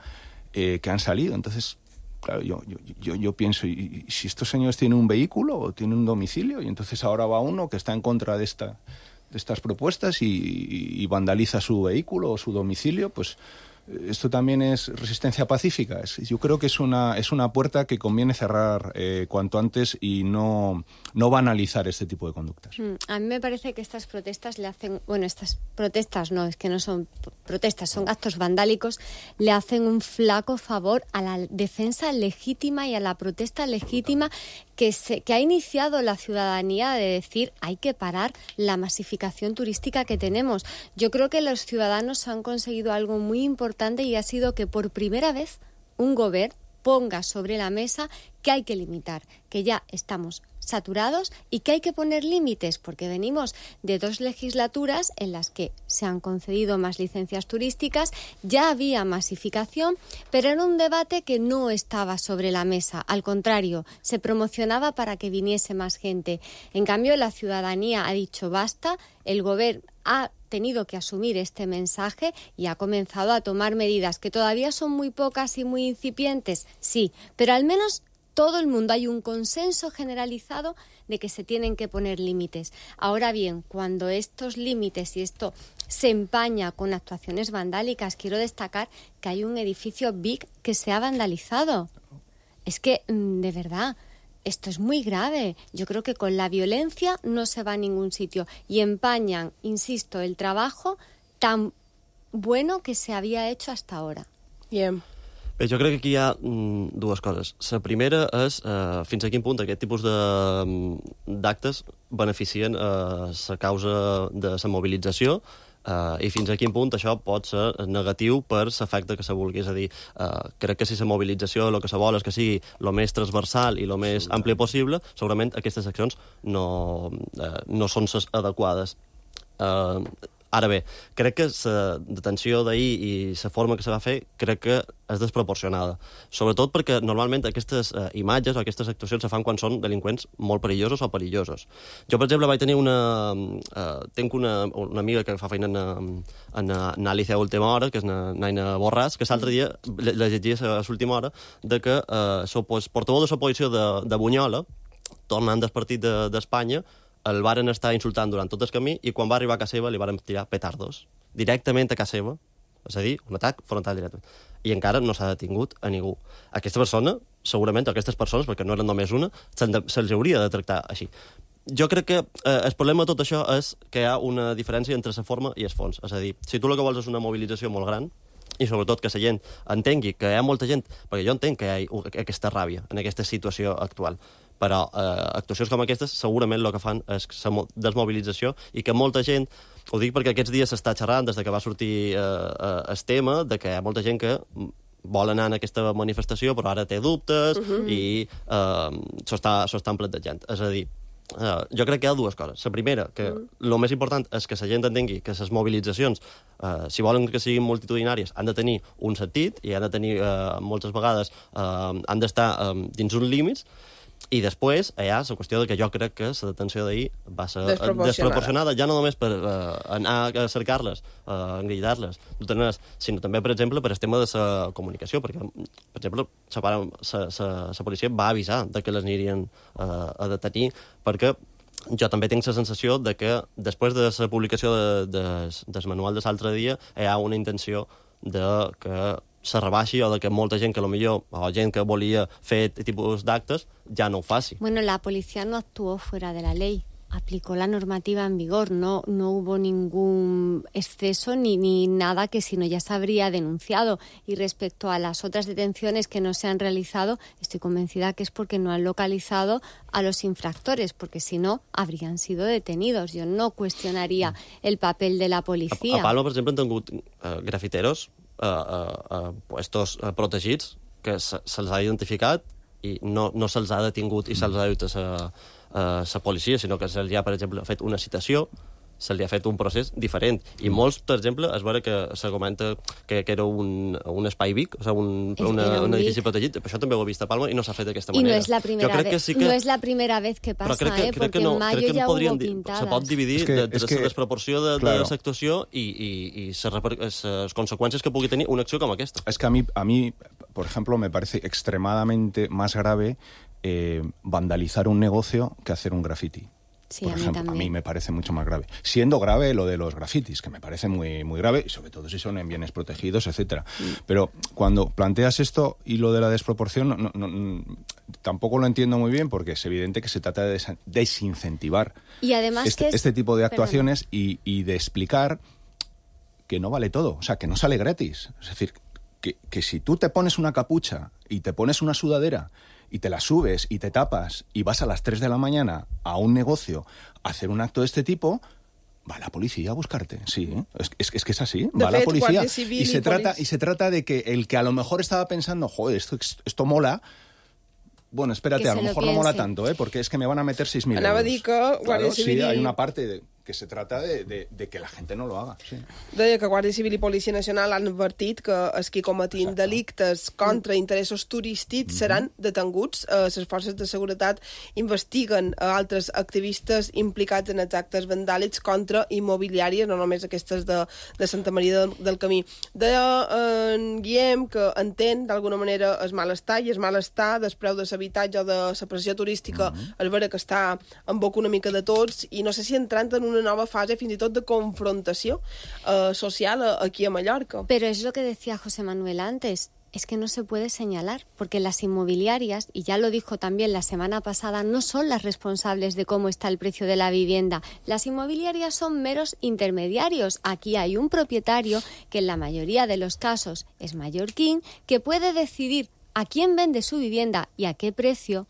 Speaker 8: eh, que han salido. Entonces, claro, yo, yo, yo, yo pienso, ¿y, y si estos señores tienen un vehículo o tienen un domicilio? Y entonces ahora va uno que está en contra de, esta, de estas propuestas y, y, y vandaliza su vehículo o su domicilio, pues esto también es resistencia pacífica. Es, yo creo que es una, es una puerta que conviene cerrar eh, cuanto antes y no, no banalizar este tipo de conductas.
Speaker 6: A mí me parece que estas protestas le hacen... Bueno, estas protestas no, es que no son protestas, son actos vandálicos, le hacen un flaco favor a la defensa legítima y a la protesta legítima que, se, que ha iniciado la ciudadanía de decir hay que parar la masificación turística que tenemos. Yo creo que los ciudadanos han conseguido algo muy importante y ha sido que por primera vez un gobierno ponga sobre la mesa que hay que limitar, que ya estamos saturados y que hay que poner límites, porque venimos de dos legislaturas en las que se han concedido más licencias turísticas, ya había masificación, pero era un debate que no estaba sobre la mesa. Al contrario, se promocionaba para que viniese más gente. En cambio, la ciudadanía ha dicho basta, el gobierno ha tenido que asumir este mensaje y ha comenzado a tomar medidas que todavía son muy pocas y muy incipientes, sí, pero al menos todo el mundo hay un consenso generalizado de que se tienen que poner límites. Ahora bien, cuando estos límites y esto se empaña con actuaciones vandálicas, quiero destacar que hay un edificio Vic que se ha vandalizado. Es que, de verdad, esto es muy grave. Yo creo que con la violencia no se va a ningún sitio y empañan, insisto, el trabajo tan bueno que se había hecho hasta ahora.
Speaker 1: Bien.
Speaker 7: Bé, jo crec que aquí hi ha mm, dues coses. La primera és eh, fins a quin punt aquest tipus d'actes beneficien eh, la causa de la mobilització eh, i fins a quin punt això pot ser negatiu per l'efecte que se vulgui. És a dir, eh, crec que si la mobilització el que se vol és que sigui el més transversal i el més ampli possible, segurament aquestes accions no, eh, no són les adequades. Eh, Ara bé, crec que la detenció d'ahir i la forma que se va fer crec que és desproporcionada. Sobretot perquè normalment aquestes eh, imatges o aquestes actuacions se fan quan són delinqüents molt perillosos o perillosos. Jo, per exemple, vaig tenir una... Eh, tenc una, una amiga que fa feina en, en anàlisi a última hora, que és na, Naina Borràs, que l'altre dia la llegia a l'última hora de que eh, el portaveu de l'oposició de, de Bunyola, tornant del partit d'Espanya, de, el varen estar insultant durant tot el camí i quan va arribar a casa seva li varen tirar petardos directament a casa seva, és a dir, un atac frontal directe. I encara no s'ha detingut a ningú. Aquesta persona, segurament, aquestes persones, perquè no eren només una, se'ls hauria de tractar així. Jo crec que eh, el problema de tot això és que hi ha una diferència entre la forma i el fons. És a dir, si tu el que vols és una mobilització molt gran, i sobretot que la gent entengui que hi ha molta gent, perquè jo entenc que hi ha aquesta ràbia en aquesta situació actual, però eh, actuacions com aquestes segurament el que fan és la desmobilització i que molta gent, ho dic perquè aquests dies s'està xerrant des que va sortir eh, el tema, de que hi ha molta gent que vol anar en aquesta manifestació però ara té dubtes uh-huh. i eh, s'ho està, s'ho estan plantejant. És a dir, Uh, jo crec que hi ha dues coses. La primera, que el mm. més important és que la gent entengui que les mobilitzacions, uh, si volen que siguin multitudinàries, han de tenir un sentit i han de tenir, uh, moltes vegades, uh, han d'estar um, dins uns límits. I després hi ha la qüestió de que jo crec que la detenció d'ahir va ser desproporcionada, desproporcionada ja no només per uh, anar a cercar-les, uh, engrillar-les, sinó també, per exemple, per el tema de la comunicació, perquè, per exemple, la policia va avisar de que les anirien uh, a detenir, perquè jo també tinc la sensació de que després de la publicació de, de, del manual de l'altre dia hi ha una intenció de que se rebaixi o de que molta gent que potser, o gent que volia fer tipus d'actes, ja no ho faci.
Speaker 6: Bueno, la policía no actuó fuera de la ley, aplicó la normativa en vigor, no, no hubo ningún exceso ni, ni nada que si no ya se habría denunciado. Y respecto a las otras detenciones que no se han realizado, estoy convencida que es porque no han localizado a los infractores, porque si no, habrían sido detenidos. Yo no cuestionaría el papel de la policía.
Speaker 7: A, a Palma, per exemple, han tingut uh, grafiteros Uh, uh, uh, puestos uh, protegits que se, se'ls ha identificat i no, no se'ls ha detingut i se'ls ha dut a la policia, sinó que se'ls ha, per exemple, fet una citació se li ha fet un procés diferent. I molts, per exemple, es veure que se comenta que, que era un, un espai Vic, o sigui, un, una, un, un edifici protegit. Això també ho he vist a Palma i no s'ha fet d'aquesta manera.
Speaker 6: I no és la primera, vez, que sí que... no és la primera vez que passa,
Speaker 7: crec que,
Speaker 6: eh?
Speaker 7: Crec
Speaker 6: Perquè
Speaker 7: que no,
Speaker 6: en mayo
Speaker 7: crec que
Speaker 6: ja
Speaker 7: podrien,
Speaker 6: hubo pintadas.
Speaker 7: Se pot dividir
Speaker 8: és que,
Speaker 7: de, de
Speaker 8: és que,
Speaker 7: la desproporció de,
Speaker 8: claro.
Speaker 7: de l'actuació i, i, i les conseqüències que pugui tenir una acció com aquesta.
Speaker 8: Es que a mí, a mí por ejemplo, me parece extremadamente más grave eh, vandalizar un negocio que hacer un graffiti.
Speaker 6: Sí,
Speaker 8: Por
Speaker 6: a mí
Speaker 8: ejemplo,
Speaker 6: también.
Speaker 8: a mí me parece mucho más grave. Siendo grave lo de los grafitis, que me parece muy, muy grave, y sobre todo si son en bienes protegidos, etcétera. Mm. Pero cuando planteas esto y lo de la desproporción, no, no, no, tampoco lo entiendo muy bien, porque es evidente que se trata de des desincentivar
Speaker 6: y además
Speaker 8: este,
Speaker 6: que es...
Speaker 8: este tipo de actuaciones y, y de explicar que no vale todo, o sea, que no sale gratis. Es decir, que, que si tú te pones una capucha y te pones una sudadera y te la subes y te tapas y vas a las tres de la mañana a un negocio a hacer un acto de este tipo, va la policía a buscarte. Sí, ¿eh? es, es, es que es así. Va la policía y se, trata, y se trata de que el que a lo mejor estaba pensando, joder, esto, esto mola... Bueno, espérate, a lo mejor lo no mola tanto, ¿eh? Porque es que me van a meter seis mil euros.
Speaker 1: Anava a dir que Guàrdia
Speaker 8: claro,
Speaker 1: Civil...
Speaker 8: Sí, hay una parte de, que se trata de, de, de que la gente no lo haga. Sí.
Speaker 1: Deia que Guàrdia Civil i Policia Nacional han advertit que els que cometin Exacte. delictes contra mm. interessos turístics mm -hmm. seran detenguts. Eh, les forces de seguretat investiguen eh, altres activistes implicats en els actes vandàlics contra immobiliàries, no només aquestes de, de Santa Maria del, del Camí. Deia eh, en Guillem que entén d'alguna manera el malestar i el malestar del preu de l'habitatge o de la pressió turística mm -hmm. és vera que està en boca una mica de tots i no sé si entrant en una nueva fase fins i tot de confrontació uh, social aquí a Mallorca.
Speaker 6: Pero es lo que decía José Manuel antes, es que no se puede señalar, porque las inmobiliarias, y ya lo dijo también la semana pasada, no son las responsables de cómo está el precio de la vivienda. Las inmobiliarias son meros intermediarios. Aquí hay un propietario que en la mayoría de los casos es mallorquín, que puede decidir a quién vende su vivienda y a qué precio,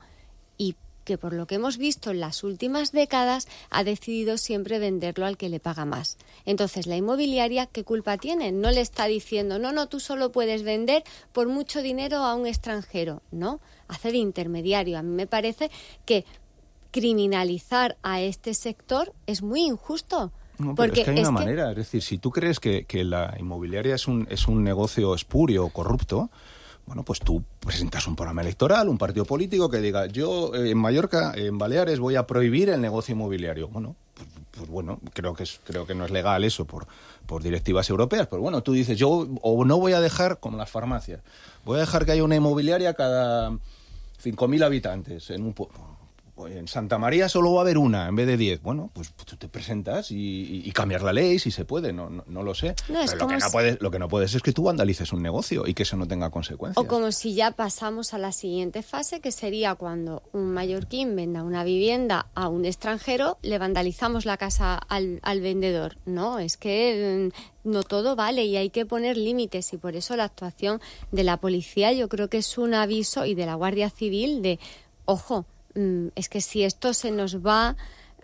Speaker 6: y que por lo que hemos visto en las últimas décadas ha decidido siempre venderlo al que le paga más. Entonces, la inmobiliaria, ¿qué culpa tiene? No le está diciendo, no, no, tú solo puedes vender por mucho dinero a un extranjero. No, hace de intermediario. A mí me parece que criminalizar a este sector es muy injusto.
Speaker 8: No, pero
Speaker 6: porque
Speaker 8: es que hay
Speaker 6: es
Speaker 8: una
Speaker 6: que...
Speaker 8: manera, es decir, si tú crees que, que la inmobiliaria es un, es un negocio espurio o corrupto, bueno, pues tú presentas un programa electoral, un partido político que diga, yo eh, en Mallorca, en Baleares, voy a prohibir el negocio inmobiliario. Bueno, pues, pues bueno, creo que es, creo que no es legal eso por, por directivas europeas, pero bueno, tú dices, yo o no voy a dejar, como las farmacias, voy a dejar que haya una inmobiliaria cada cinco mil habitantes en un pueblo. En Santa María solo va a haber una en vez de diez. Bueno, pues tú te presentas y, y, y cambiar la ley si se puede, no, no, no lo sé.
Speaker 6: No, es
Speaker 8: Pero lo que, no
Speaker 6: si...
Speaker 8: puedes, lo que no puedes es que tú vandalices un negocio y que eso no tenga consecuencias.
Speaker 6: O como si ya pasamos a la siguiente fase, que sería cuando un mallorquín venda una vivienda a un extranjero, le vandalizamos la casa al, al vendedor. No, es que no todo vale y hay que poner límites, y por eso la actuación de la policía yo creo que es un aviso, y de la Guardia Civil, de, ojo, es que si esto se nos va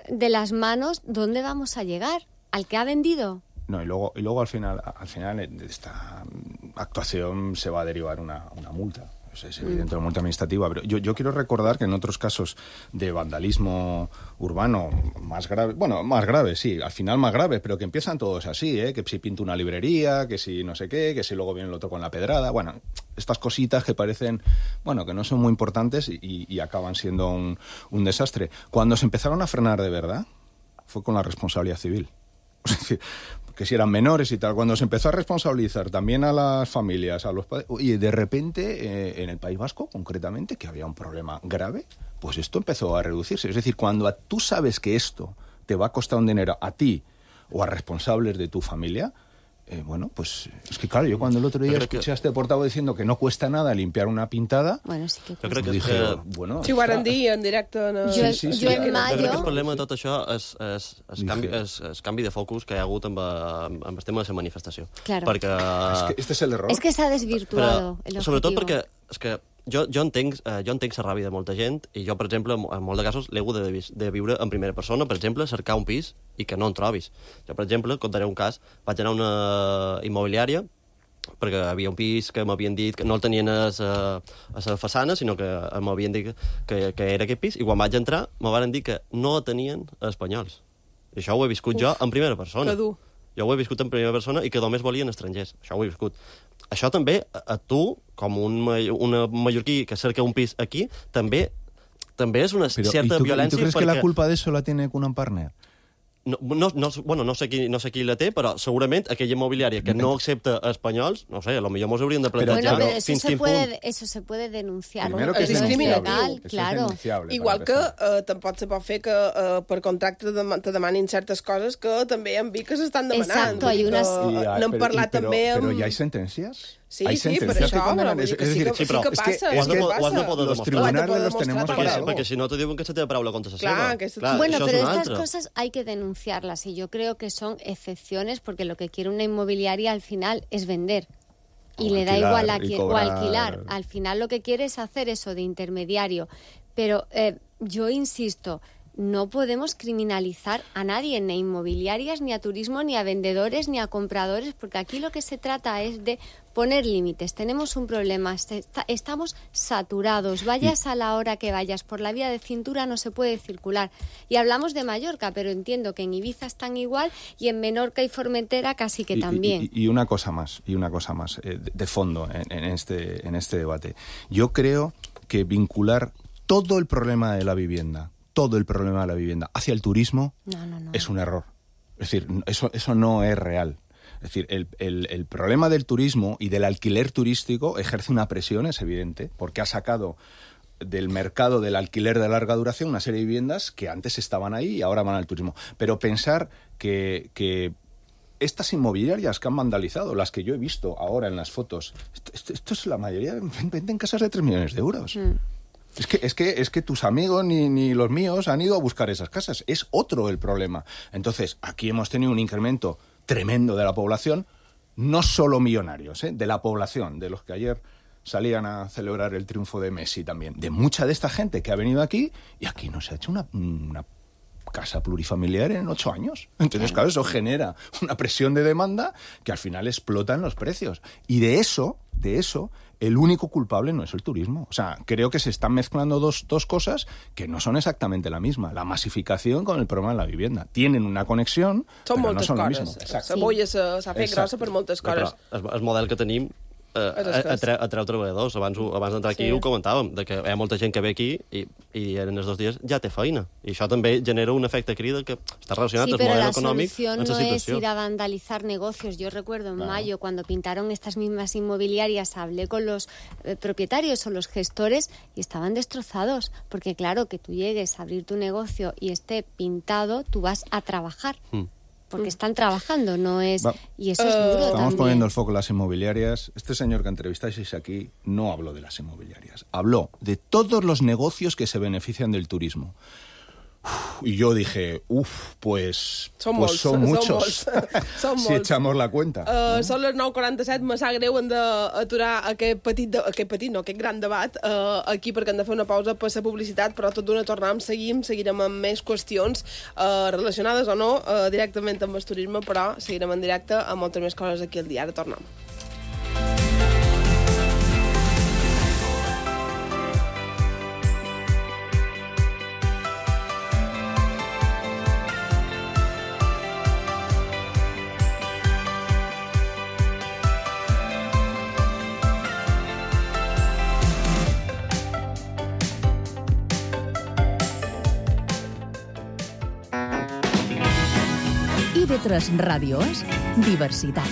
Speaker 6: de las manos, ¿dónde vamos a llegar? ¿Al que ha vendido?
Speaker 8: No, y luego, y luego al final, al final de esta actuación se va a derivar una, una multa. Es, es evidente, una multa administrativa. Pero yo, yo quiero recordar que en otros casos de vandalismo urbano más grave, bueno, más grave, sí, al final más grave, pero que empiezan todos así, ¿eh? Que si pinto una librería, que si no sé qué, que si luego viene el otro con la pedrada, bueno, estas cositas que parecen, bueno, que no son muy importantes y, y acaban siendo un, un desastre. Cuando se empezaron a frenar de verdad, fue con la responsabilidad civil. Es decir, que si eran menores y tal, cuando se empezó a responsabilizar también a las familias, a los padres, y de repente eh, en el País Vasco, concretamente, que había un problema grave, pues esto empezó a reducirse. Es decir, cuando a, tú sabes que esto te va a costar un dinero a ti o a responsables de tu familia, eh, bueno, pues es que claro, yo cuando el otro día escuché que... a este portavoz diciendo que no cuesta nada limpiar una pintada,
Speaker 6: bueno, sí que
Speaker 7: jo crec que
Speaker 8: dije,
Speaker 7: que...
Speaker 8: bueno...
Speaker 1: Si ho van dir en directe... No...
Speaker 6: Jo, sí, sí, sí. jo en mayo...
Speaker 7: Jo crec que el problema de tot això és, és, és, canvi, és, és canvi de focus que hi ha hagut amb, amb, amb el tema de la manifestació.
Speaker 6: Claro.
Speaker 7: Perquè...
Speaker 8: Es que este es el error.
Speaker 6: Es que s'ha desvirtuado
Speaker 7: però,
Speaker 6: el objetivo.
Speaker 7: Sobretot perquè és que jo, jo, entenc, eh, jo entenc la ràbia de molta gent, i jo, per exemple, en, en molts de casos l'he hagut de, de viure en primera persona, per exemple, cercar un pis i que no en trobis. Jo, per exemple, contaré un cas, vaig anar a una immobiliària perquè havia un pis que m'havien dit que no el tenien a la façana, sinó que m'havien dit que, que era aquest pis, i quan vaig entrar me van dir que no tenien espanyols. I això ho he viscut Uf, jo en primera persona.
Speaker 1: Que dur.
Speaker 7: Jo ho he viscut en primera persona i que només volien estrangers. Això ho he viscut. Això també, a, a tu, com un, una mallorquí que cerca un pis aquí, també també és una
Speaker 8: Pero,
Speaker 7: cierta
Speaker 8: ¿y tú,
Speaker 7: violència.
Speaker 8: ¿Y tú crees
Speaker 7: perquè...
Speaker 8: que la culpa de eso la tiene Cunham Partner?
Speaker 7: No, no, no, bueno, no sé, qui, no sé qui la té, però segurament aquella immobiliària que no accepta espanyols, no sé, a lo millor mos hauríem de plantejar...
Speaker 6: Bueno, pero eso
Speaker 7: fins
Speaker 6: se,
Speaker 7: quin
Speaker 6: puede,
Speaker 7: punt.
Speaker 6: eso se puede denunciar.
Speaker 8: Primero
Speaker 6: ¿no?
Speaker 8: que es
Speaker 6: Eso
Speaker 1: discriminatiu.
Speaker 6: legal, claro.
Speaker 1: Igual que eh, tampoc se pot fer que eh, per contracte te, te demanin certes coses que també hem vist que s'estan demanant.
Speaker 6: Exacto, hay unas...
Speaker 1: N'hem parlat
Speaker 8: pero,
Speaker 1: també amb...
Speaker 8: Pero ¿ya hay sentencias?
Speaker 1: Sí,
Speaker 8: hay
Speaker 1: sí, per
Speaker 8: sentencias
Speaker 1: això,
Speaker 8: que condenan.
Speaker 1: però
Speaker 8: Es,
Speaker 1: vull dir
Speaker 8: es
Speaker 1: que
Speaker 8: decir,
Speaker 1: sí que, sí que
Speaker 8: es que,
Speaker 1: passa.
Speaker 7: Ho has de,
Speaker 1: sí que
Speaker 7: ho has de
Speaker 1: passa.
Speaker 7: poder
Speaker 8: los
Speaker 7: demostrar.
Speaker 8: tribunales
Speaker 1: Ho has de
Speaker 8: los
Speaker 1: poder
Speaker 8: tenemos
Speaker 1: demostrar
Speaker 8: para
Speaker 7: Perquè,
Speaker 8: algo.
Speaker 7: perquè si no te diuen que se té paraula contra la
Speaker 1: Clar,
Speaker 7: seva.
Speaker 1: aquesta-
Speaker 7: Clar,
Speaker 6: Bueno,
Speaker 7: això
Speaker 6: pero
Speaker 7: és una
Speaker 6: estas
Speaker 7: altra.
Speaker 6: cosas hay que denunciarlas y yo creo que son excepciones porque lo que quiere una inmobiliaria al final es vender. Y
Speaker 8: O
Speaker 6: le da
Speaker 8: alquilar,
Speaker 6: igual a
Speaker 8: y
Speaker 6: quien,
Speaker 8: cobrar.
Speaker 6: o alquilar. Al final lo que quiere es hacer eso de intermediario. Pero eh, yo insisto, no podemos criminalizar a nadie, ni a inmobiliarias, ni a turismo, ni a vendedores, ni a compradores, porque aquí lo que se trata es de poner límites. Tenemos un problema, está, estamos saturados. Vayas a la hora que vayas, por la vía de cintura no se puede circular. Y hablamos de Mallorca, pero entiendo que en Ibiza están igual y en Menorca y Formentera casi que
Speaker 8: y,
Speaker 6: también.
Speaker 8: Y, y una cosa más, y una cosa más eh, de, de fondo en, en, este, en este debate. Yo creo que vincular todo el problema de la vivienda, todo el problema de la vivienda hacia el turismo
Speaker 6: No, no, no.
Speaker 8: es un error. Es decir, eso, eso no es real. Es decir, el, el, el problema del turismo y del alquiler turístico ejerce una presión, es evidente, porque ha sacado del mercado del alquiler de larga duración una serie de viviendas que antes estaban ahí y ahora van al turismo. Pero pensar que, que estas inmobiliarias que han vandalizado, las que yo he visto ahora en las fotos, esto, esto, esto es la mayoría, venden casas de tres millones de euros. Mm. Es que, es que, es que tus amigos ni, ni los míos han ido a buscar esas casas. Es otro el problema. Entonces, aquí hemos tenido un incremento tremendo de la población, no solo millonarios, ¿eh? de la población, de los que ayer salían a celebrar el triunfo de Messi también, de mucha de esta gente que ha venido aquí y aquí no se ha hecho una, una casa plurifamiliar en ocho años. Entonces, claro, eso genera una presión de demanda que al final explota en los precios. Y de eso, de eso, el único culpable no es el turismo. O sea, creo que se están mezclando dos, dos cosas que no son exactamente la misma. La masificación con el problema de la vivienda. Tienen una conexión,
Speaker 1: són
Speaker 8: però no són
Speaker 1: coses.
Speaker 8: el mismo.
Speaker 1: La bolla s'ha fet grossa per moltes coses.
Speaker 7: Però el, el model que tenim eh, atreu, atreu treballadors. Abans, abans d'entrar aquí sí. ho comentàvem, de que hi ha molta gent que ve aquí i, i en els dos dies ja té feina. I això també genera un efecte crida que està relacionat
Speaker 6: sí,
Speaker 7: amb el model econòmic
Speaker 6: Sí, pero la solución no es ir a vandalizar negocios. Yo recuerdo en claro. mayo, cuando pintaron estas mismas inmobiliarias, hablé con los eh, propietarios o los gestores y estaban destrozados. Porque claro, que tú llegues a abrir tu negocio y esté pintado, tú vas a trabajar. Hmm. Porque están trabajando, no es... Va. Y eso es duro
Speaker 8: Estamos
Speaker 6: también.
Speaker 8: poniendo el foco en las inmobiliarias. Este señor que entrevistáis aquí no habló de las inmobiliarias. Habló de todos los negocios que se benefician del turismo. Uf, y yo dije, uff, pues,
Speaker 1: són
Speaker 8: pues
Speaker 1: molts,
Speaker 8: son muchos,
Speaker 1: són molts.
Speaker 8: si echamos la cuenta.
Speaker 1: Uh, no? Són les nou quaranta-set, me sap greu, hem d'aturar aquest petit, de, aquest petit, no, aquest gran debat uh, aquí perquè hem de fer una pausa per la publicitat, però tot d'una tornem, seguim, seguirem amb més qüestions uh, relacionades o no uh, directament amb el turisme, però seguirem en directe amb moltes més coses aquí al dia. Ara tornem.
Speaker 10: I V tres Ràdio és diversitat.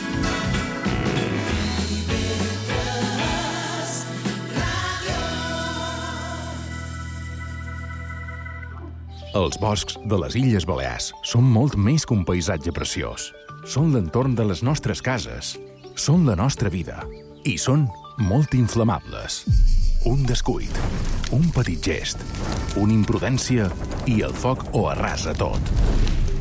Speaker 11: Els boscs de les Illes Balears són molt més que un paisatge preciós. Són l'entorn de les nostres cases, són la nostra vida i són molt inflamables. Un descuit, un petit gest, una imprudència i el foc ho arrasa tot.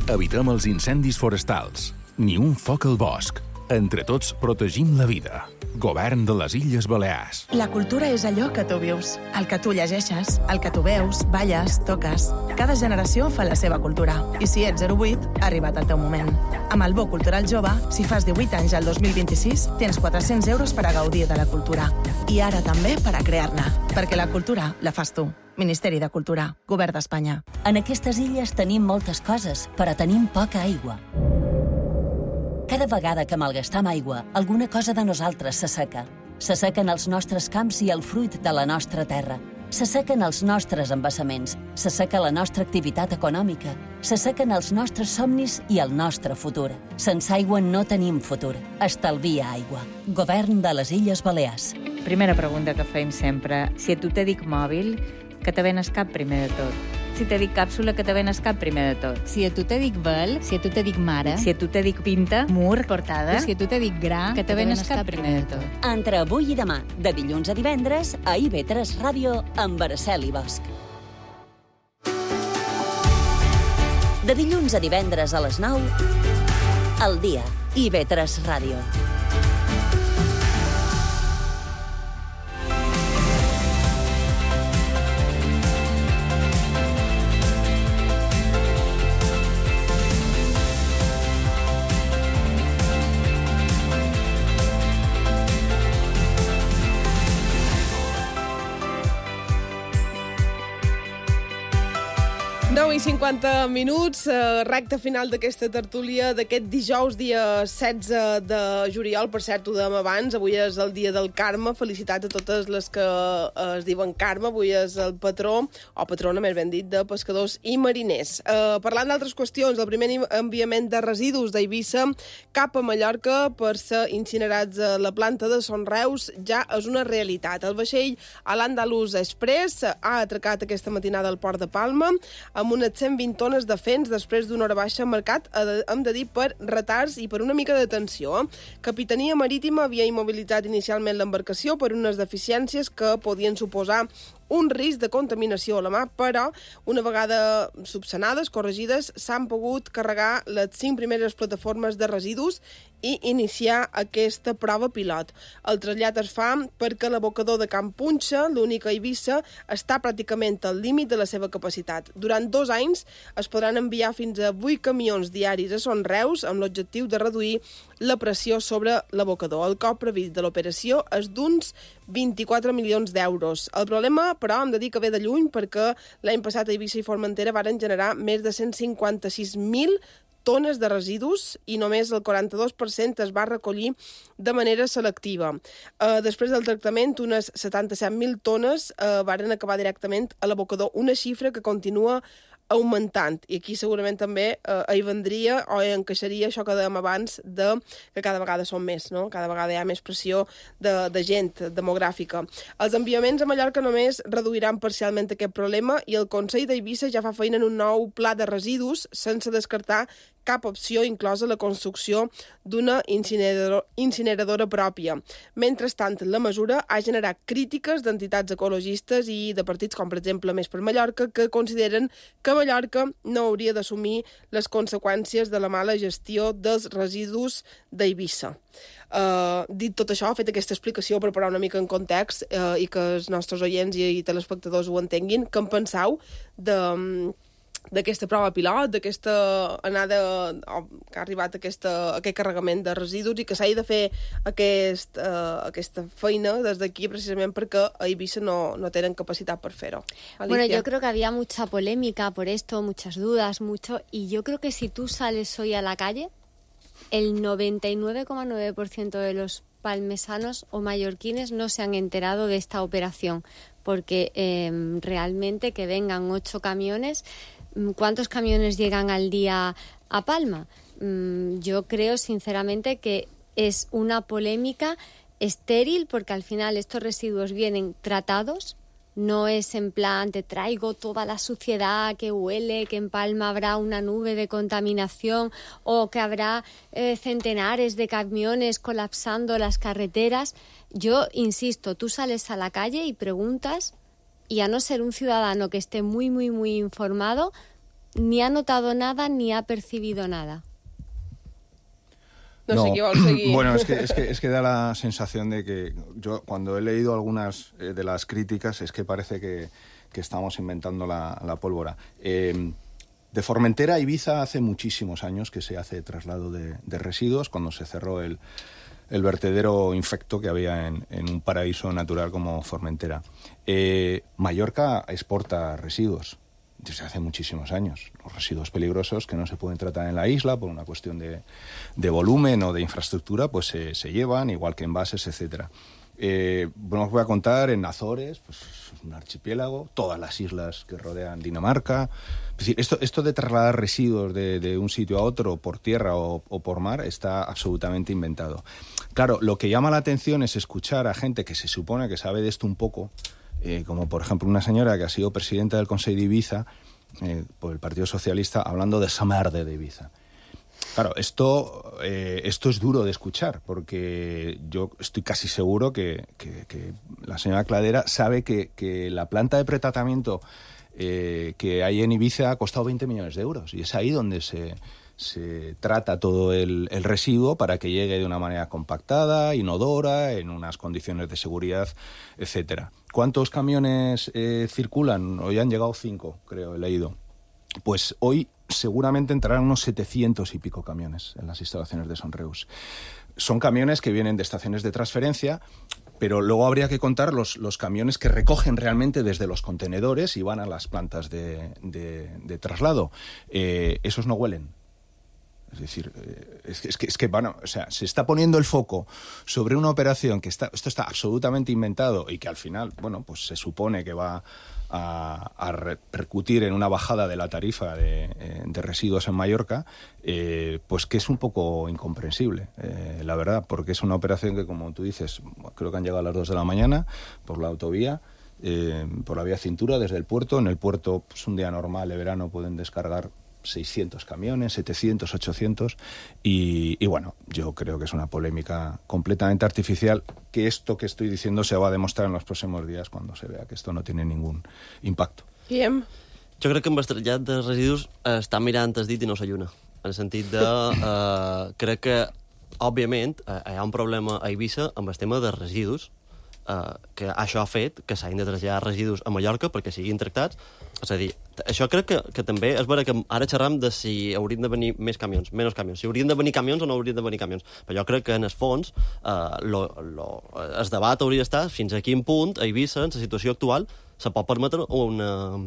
Speaker 11: Evitem els incendis forestals. Ni un foc al bosc. Entre tots protegim la vida. Govern de les Illes Balears.
Speaker 12: La cultura és allò que tu vius, el que tu llegeixes, el que tu veus, balles, toques. Cada generació fa la seva cultura. I si ets zero vuit, ha arribat el teu moment. Amb el Bo Cultural Jove, si fas divuit anys al dos mil vint-i-sis, tens quatre-cents euros per a gaudir de la cultura. I ara també per a crear-ne. Perquè la cultura la fas tu. Ministeri de Cultura, Govern d'Espanya.
Speaker 5: En aquestes illes tenim moltes coses, però tenim poca aigua. Cada vegada que malgastam aigua, alguna cosa de nosaltres s'asseca. S'assequen els nostres camps i el fruit de la nostra terra. S'assequen els nostres embassaments. S'asseca la nostra activitat econòmica. S'assequen els nostres somnis i el nostre futur. Sense aigua no tenim futur. Estalvia aigua. Govern de les Illes Balears.
Speaker 13: Primera pregunta que fem sempre. Si a tu te dic mòbil, que te venes cap primer de tot? Si te dic càpsula, que te venes cap primer de tot?
Speaker 14: Si a tu te dic vel, si a tu te dic mare,
Speaker 13: si a tu te dic pinta, mur, portada,
Speaker 14: i si a tu te dic gra, que te venes cap primer de tot.
Speaker 5: Entre avui i demà, de dilluns a divendres, a I V tres Ràdio, amb Araceli Bosch. De dilluns a divendres a les nou, al dia, I V tres Ràdio.
Speaker 1: nou i cinquanta minuts, eh, recta final d'aquesta tertúlia d'aquest dijous, dia setze de juliol. Per cert, ho dèiem abans, avui és el dia del Carme. Felicitats a totes les que eh, es diuen Carme. Avui és el patró, o patrona, més ben dit, de pescadors i mariners. Eh, parlant d'altres qüestions, el primer enviament de residus d'Eivissa cap a Mallorca per ser incinerats a la planta de Son Reus ja és una realitat. El vaixell Al-Andalus Express ha atracat aquesta matinada al port de Palma amb unes cent vint tones de fens després d'una hora baixa marcat, hem de dir, per retards i per una mica de tensió. Capitania Marítima havia immobilitzat inicialment l'embarcació per unes deficiències que podien suposar un risc de contaminació a la mà, però una vegada subsanades, corregides, s'han pogut carregar les cinc primeres plataformes de residus i iniciar aquesta prova pilot. El trasllat es fa perquè l'abocador de Can Punxa, l'únic a Eivissa, està pràcticament al límit de la seva capacitat. Durant dos anys es podran enviar fins a vuit camions diaris a Son Reus amb l'objectiu de reduir la pressió sobre l'abocador. El cost previst de l'operació és d'uns vint-i-quatre milions d'euros. El problema, però, hem de dir que ve de lluny perquè l'any passat a Eivissa i Formentera varen generar més de cent cinquanta-sis mil tones de residus i només el quaranta-dos per cent es va recollir de manera selectiva. Eh, després del tractament, unes setanta-set mil tones eh, varen acabar directament a l'abocador, una xifra que continua augmentant. I aquí segurament també eh, hi vendria o hi encaixaria això que dèiem abans de que cada vegada són més, no? Cada vegada hi ha més pressió de, de gent demogràfica. Els enviaments a Mallorca només reduiran parcialment aquest problema i el Consell d'Eivissa ja fa feina en un nou pla de residus sense descartar cap opció, inclosa la construcció d'una incinerador, incineradora pròpia. Mentrestant, la mesura ha generat crítiques d'entitats ecologistes i de partits com, per exemple, Més per Mallorca, que consideren que Mallorca no hauria d'assumir les conseqüències de la mala gestió dels residus d'Eivissa. Uh, dit tot això, fet aquesta explicació per posar una mica en context uh, i que els nostres oients i, i telespectadors ho entenguin, què en penseu de... d'aquesta prova pilot, d'aquesta anada o, que ha arribat aquesta, aquest carregament de residus i que s'ha de fer aquest, uh, aquesta feina des d'aquí precisament perquè a Eivissa no, no tenen capacitat per fer-ho. Alicia.
Speaker 6: Bueno, yo creo que había mucha polémica por esto, muchas dudas, mucho, y yo creo que si tú sales hoy a la calle, el noventa y nueve coma nueve por ciento de los palmesanos o mallorquines no se han enterado de esta operación, porque eh, realmente que vengan ocho camiones. ¿Cuántos camiones llegan al día a Palma? Yo creo sinceramente que es una polémica estéril porque al final estos residuos vienen tratados. No es en plan, te traigo toda la suciedad que huele, que en Palma habrá una nube de contaminación o que habrá eh, centenares de camiones colapsando las carreteras. Yo insisto, tú sales a la calle y preguntas, y a no ser un ciudadano que esté muy, muy, muy informado, ni ha notado nada ni ha percibido nada.
Speaker 1: No, sé qué va a seguir.
Speaker 8: Bueno, es que, es, que, es que da la sensación de que yo cuando he leído algunas eh, de las críticas es que parece que, que estamos inventando la, la pólvora. Eh, de Formentera a Ibiza hace muchísimos años que se hace traslado de, de residuos, cuando se cerró el, el vertedero infecto que había en, en un paraíso natural como Formentera. Eh, Mallorca exporta residuos desde hace muchísimos años. Los residuos peligrosos que no se pueden tratar en la isla por una cuestión de, de volumen o de infraestructura, pues se, se llevan, igual que envases, etcétera. Eh, bueno, os voy a contar en Azores, pues un archipiélago, todas las islas que rodean Dinamarca. Es decir, esto, esto de trasladar residuos de, de un sitio a otro por tierra o, o por mar está absolutamente inventado. Claro, lo que llama la atención es escuchar a gente que se supone que sabe de esto un poco, Eh, como por ejemplo una señora que ha sido presidenta del Consell de Ibiza eh, por el Partido Socialista, hablando de esa merde de Ibiza. Claro, esto, eh, esto es duro de escuchar, porque yo estoy casi seguro que, que, que la señora Cladera sabe que, que la planta de pretratamiento eh, que hay en Ibiza ha costado veinte millones de euros, y es ahí donde se... se trata todo el, el residuo para que llegue de una manera compactada, inodora, en unas condiciones de seguridad, etcétera. ¿Cuántos camiones eh, circulan? Hoy han llegado cinco, creo, he leído. Pues hoy seguramente entrarán unos setecientos y pico camiones en las instalaciones de Sonreus. Son camiones que vienen de estaciones de transferencia, pero luego habría que contar los, los camiones que recogen realmente desde los contenedores y van a las plantas de, de, de traslado. Eh, esos no huelen. Es decir, es que, es, que, es que bueno, o sea, se está poniendo el foco sobre una operación que está, esto está absolutamente inventado y que al final, bueno, pues se supone que va a, a repercutir en una bajada de la tarifa de, de residuos en Mallorca, eh, pues que es un poco incomprensible, eh, la verdad, porque es una operación que, como tú dices, creo que han llegado a las dos de la mañana por la autovía, eh, por la vía Cintura, desde el puerto. En el puerto, pues un día normal de verano pueden descargar seiscientos camiones, setecientos, ochocientos, y, y bueno, yo creo que es una polémica completamente artificial, que esto que estoy diciendo se va a demostrar en los próximos días cuando se vea que esto no tiene ningún impacto.
Speaker 1: Guillem?
Speaker 7: Jo crec que amb el trasllat de residus eh, està mirant el dit i no s'alluna, en el sentit de... Eh, crec que, òbviament, eh, hi ha un problema a Eivissa amb el tema de residus, eh, que això ha fet que s'hagin de traslladar residus a Mallorca perquè siguin tractats. És a dir, això crec que, que també és vera que ara xerram de si haurien de venir més camions, menys camions, si haurien de venir camions o no haurien de venir camions. Però jo crec que, en el fons, eh, lo, lo, el debat hauria d'estar fins a quin punt a Eivissa, en la situació actual, se pot permetre una,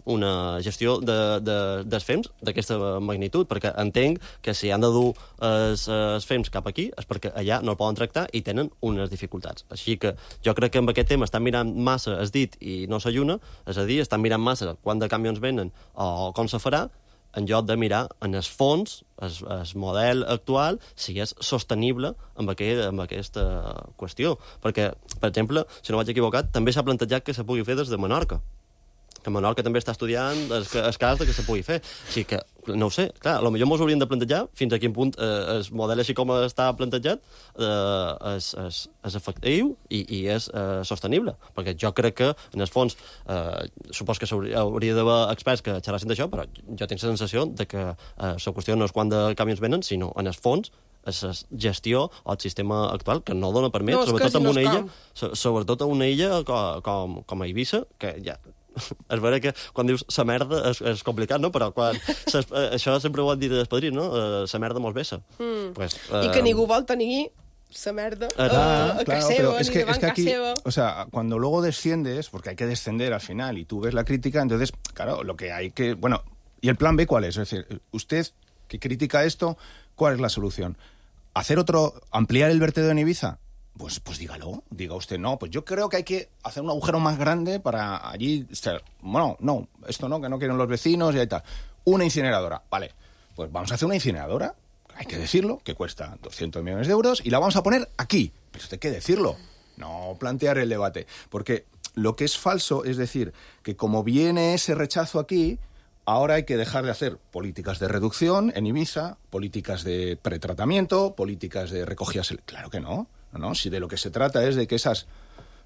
Speaker 7: una gestió de, de, dels fems d'aquesta magnitud, perquè entenc que si han de dur els, els fems cap aquí és perquè allà no el poden tractar i tenen unes dificultats. Així que jo crec que amb aquest tema estan mirant massa el dit i no s'alluna, és a dir, estan mirant massa quant de camions venen o com se farà, en lloc de mirar en el fons, el, el model actual, si és sostenible amb, aquest, amb aquesta qüestió. Perquè, per exemple, si no vaig equivocat, també s'ha plantejat que se pugui fer des de Menorca, que Menorca també està estudiant el, el cas de que se pugui fer. Així que, no ho sé, clar, potser mos hauríem de plantejar fins a quin punt eh, el model així com està plantejat eh, és, és, és efectiu i, i és eh, sostenible. Perquè jo crec que, en el fons, eh, supos que hauria d'haver experts que xerrassin d'això, però jo tinc la sensació de que eh, la qüestió no és quant de camions venen, sinó, en el fons, és la gestió o el sistema actual que no dona permet, no, sobretot en una illa, sobretot a una illa com, com, com a Eivissa, que ja... És vera que quan dius sa merda és, és complicat, no? Però quan ses, això sempre ho han dit els padrins, no? Sa merda mos vessa.
Speaker 1: Mm.
Speaker 7: Pues,
Speaker 1: uh... I que ningú vol tenir sa merda a,
Speaker 8: ah,
Speaker 1: a
Speaker 8: claro,
Speaker 1: casa seva,
Speaker 8: es que,
Speaker 1: ni
Speaker 8: es que aquí,
Speaker 1: seva.
Speaker 8: O sea, cuando luego desciendes, porque hay que descender al final, y tú ves la crítica, entonces, claro, lo que hay que... Bueno, ¿y el plan B cuál es? Es decir, usted que critica esto, ¿cuál es la solución? ¿Hacer otro, ampliar el vertedero en Ibiza? Pues, pues dígalo, diga usted, no, pues yo creo que hay que hacer un agujero más grande para allí, bueno, no, esto no, que no quieren los vecinos y ahí tal. Una incineradora, vale, pues vamos a hacer una incineradora, hay que decirlo, que cuesta doscientos millones de euros y la vamos a poner aquí, pero usted hay que decirlo, no plantear el debate, porque lo que es falso es decir que como viene ese rechazo aquí, ahora hay que dejar de hacer políticas de reducción en Ibiza, políticas de pretratamiento, políticas de recogida, claro que no. No, no, si de lo que se trata es de que esas,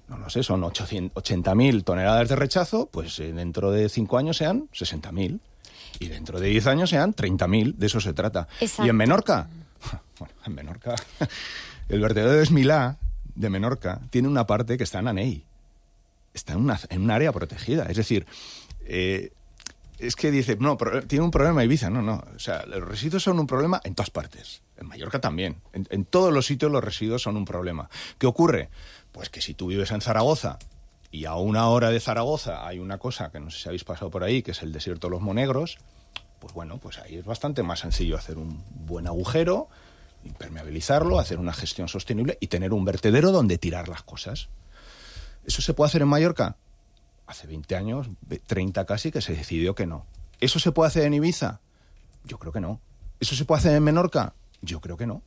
Speaker 8: no lo sé, son ochenta mil toneladas de rechazo, pues eh, dentro de cinco años sean sesenta mil. Y dentro de diez años sean treinta mil, de eso se trata.
Speaker 6: Exacto.
Speaker 8: Y en Menorca, Bueno, en Menorca... El vertedero de Esmilá, de Menorca, tiene una parte que está en Anell. Está en, una, en un área protegida. Es decir, eh, es que dice, no, pro, tiene un problema Ibiza. No, no. O sea, los residuos son un problema en todas partes. En Mallorca también. En, en todos los sitios los residuos son un problema. ¿Qué ocurre? Pues que si tú vives en Zaragoza y a una hora de Zaragoza hay una cosa que no sé si habéis pasado por ahí, que es el desierto de los Monegros, pues bueno, pues ahí es bastante más sencillo hacer un buen agujero, impermeabilizarlo, hacer una gestión sostenible y tener un vertedero donde tirar las cosas. ¿Eso se puede hacer en Mallorca? Hace veinte años, treinta casi, que se decidió que no. ¿Eso se puede hacer en Ibiza? Yo creo que no. ¿Eso se puede hacer en Menorca? Yo creo que no.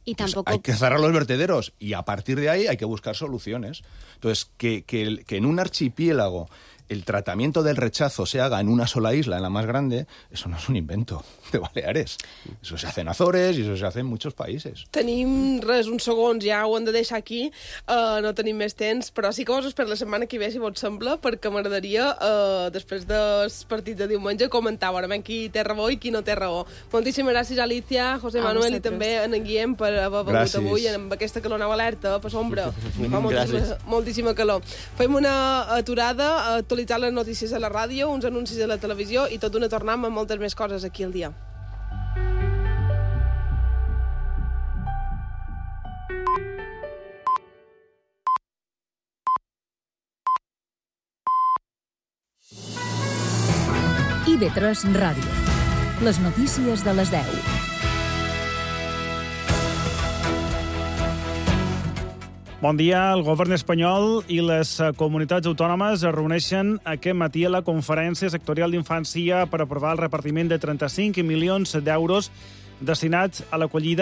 Speaker 6: Y tampoco...
Speaker 8: Pues hay que cerrar los vertederos y a partir de ahí hay que buscar soluciones. Entonces, que, que, que en un archipiélago el tratamiento del rechazo se haga en una sola isla, en la más grande, eso no és un invento de Baleares. Eso se hace en Azores i eso se hace en muchos países.
Speaker 1: Tenim res, uns segons, ja ho hem de deixar aquí, uh, no tenim més temps, però sí que vos per la setmana que ve, si vos sembla, perquè m'agradaria, uh, després del partit de diumenge, comentar veurem qui té raó i qui no té raó. Moltíssimes gràcies, Alicia, José Manuel i també en Guillem per haver vengut avui amb aquesta calor nova alerta, per sombra. Fa moltíssima, moltíssima calor. Fem una aturada, actualitzar les notícies a la ràdio, uns anuncis a la televisió i tot una tornam amb moltes més coses aquí al dia.
Speaker 10: I de tres Ràdio. Les notícies de les deu.
Speaker 15: Bon dia. El govern espanyol i les comunitats autònomes es reuneixen aquest matí a la Conferència Sectorial d'Infància per aprovar el repartiment de trenta-cinc milions d'euros destinats a l'acollida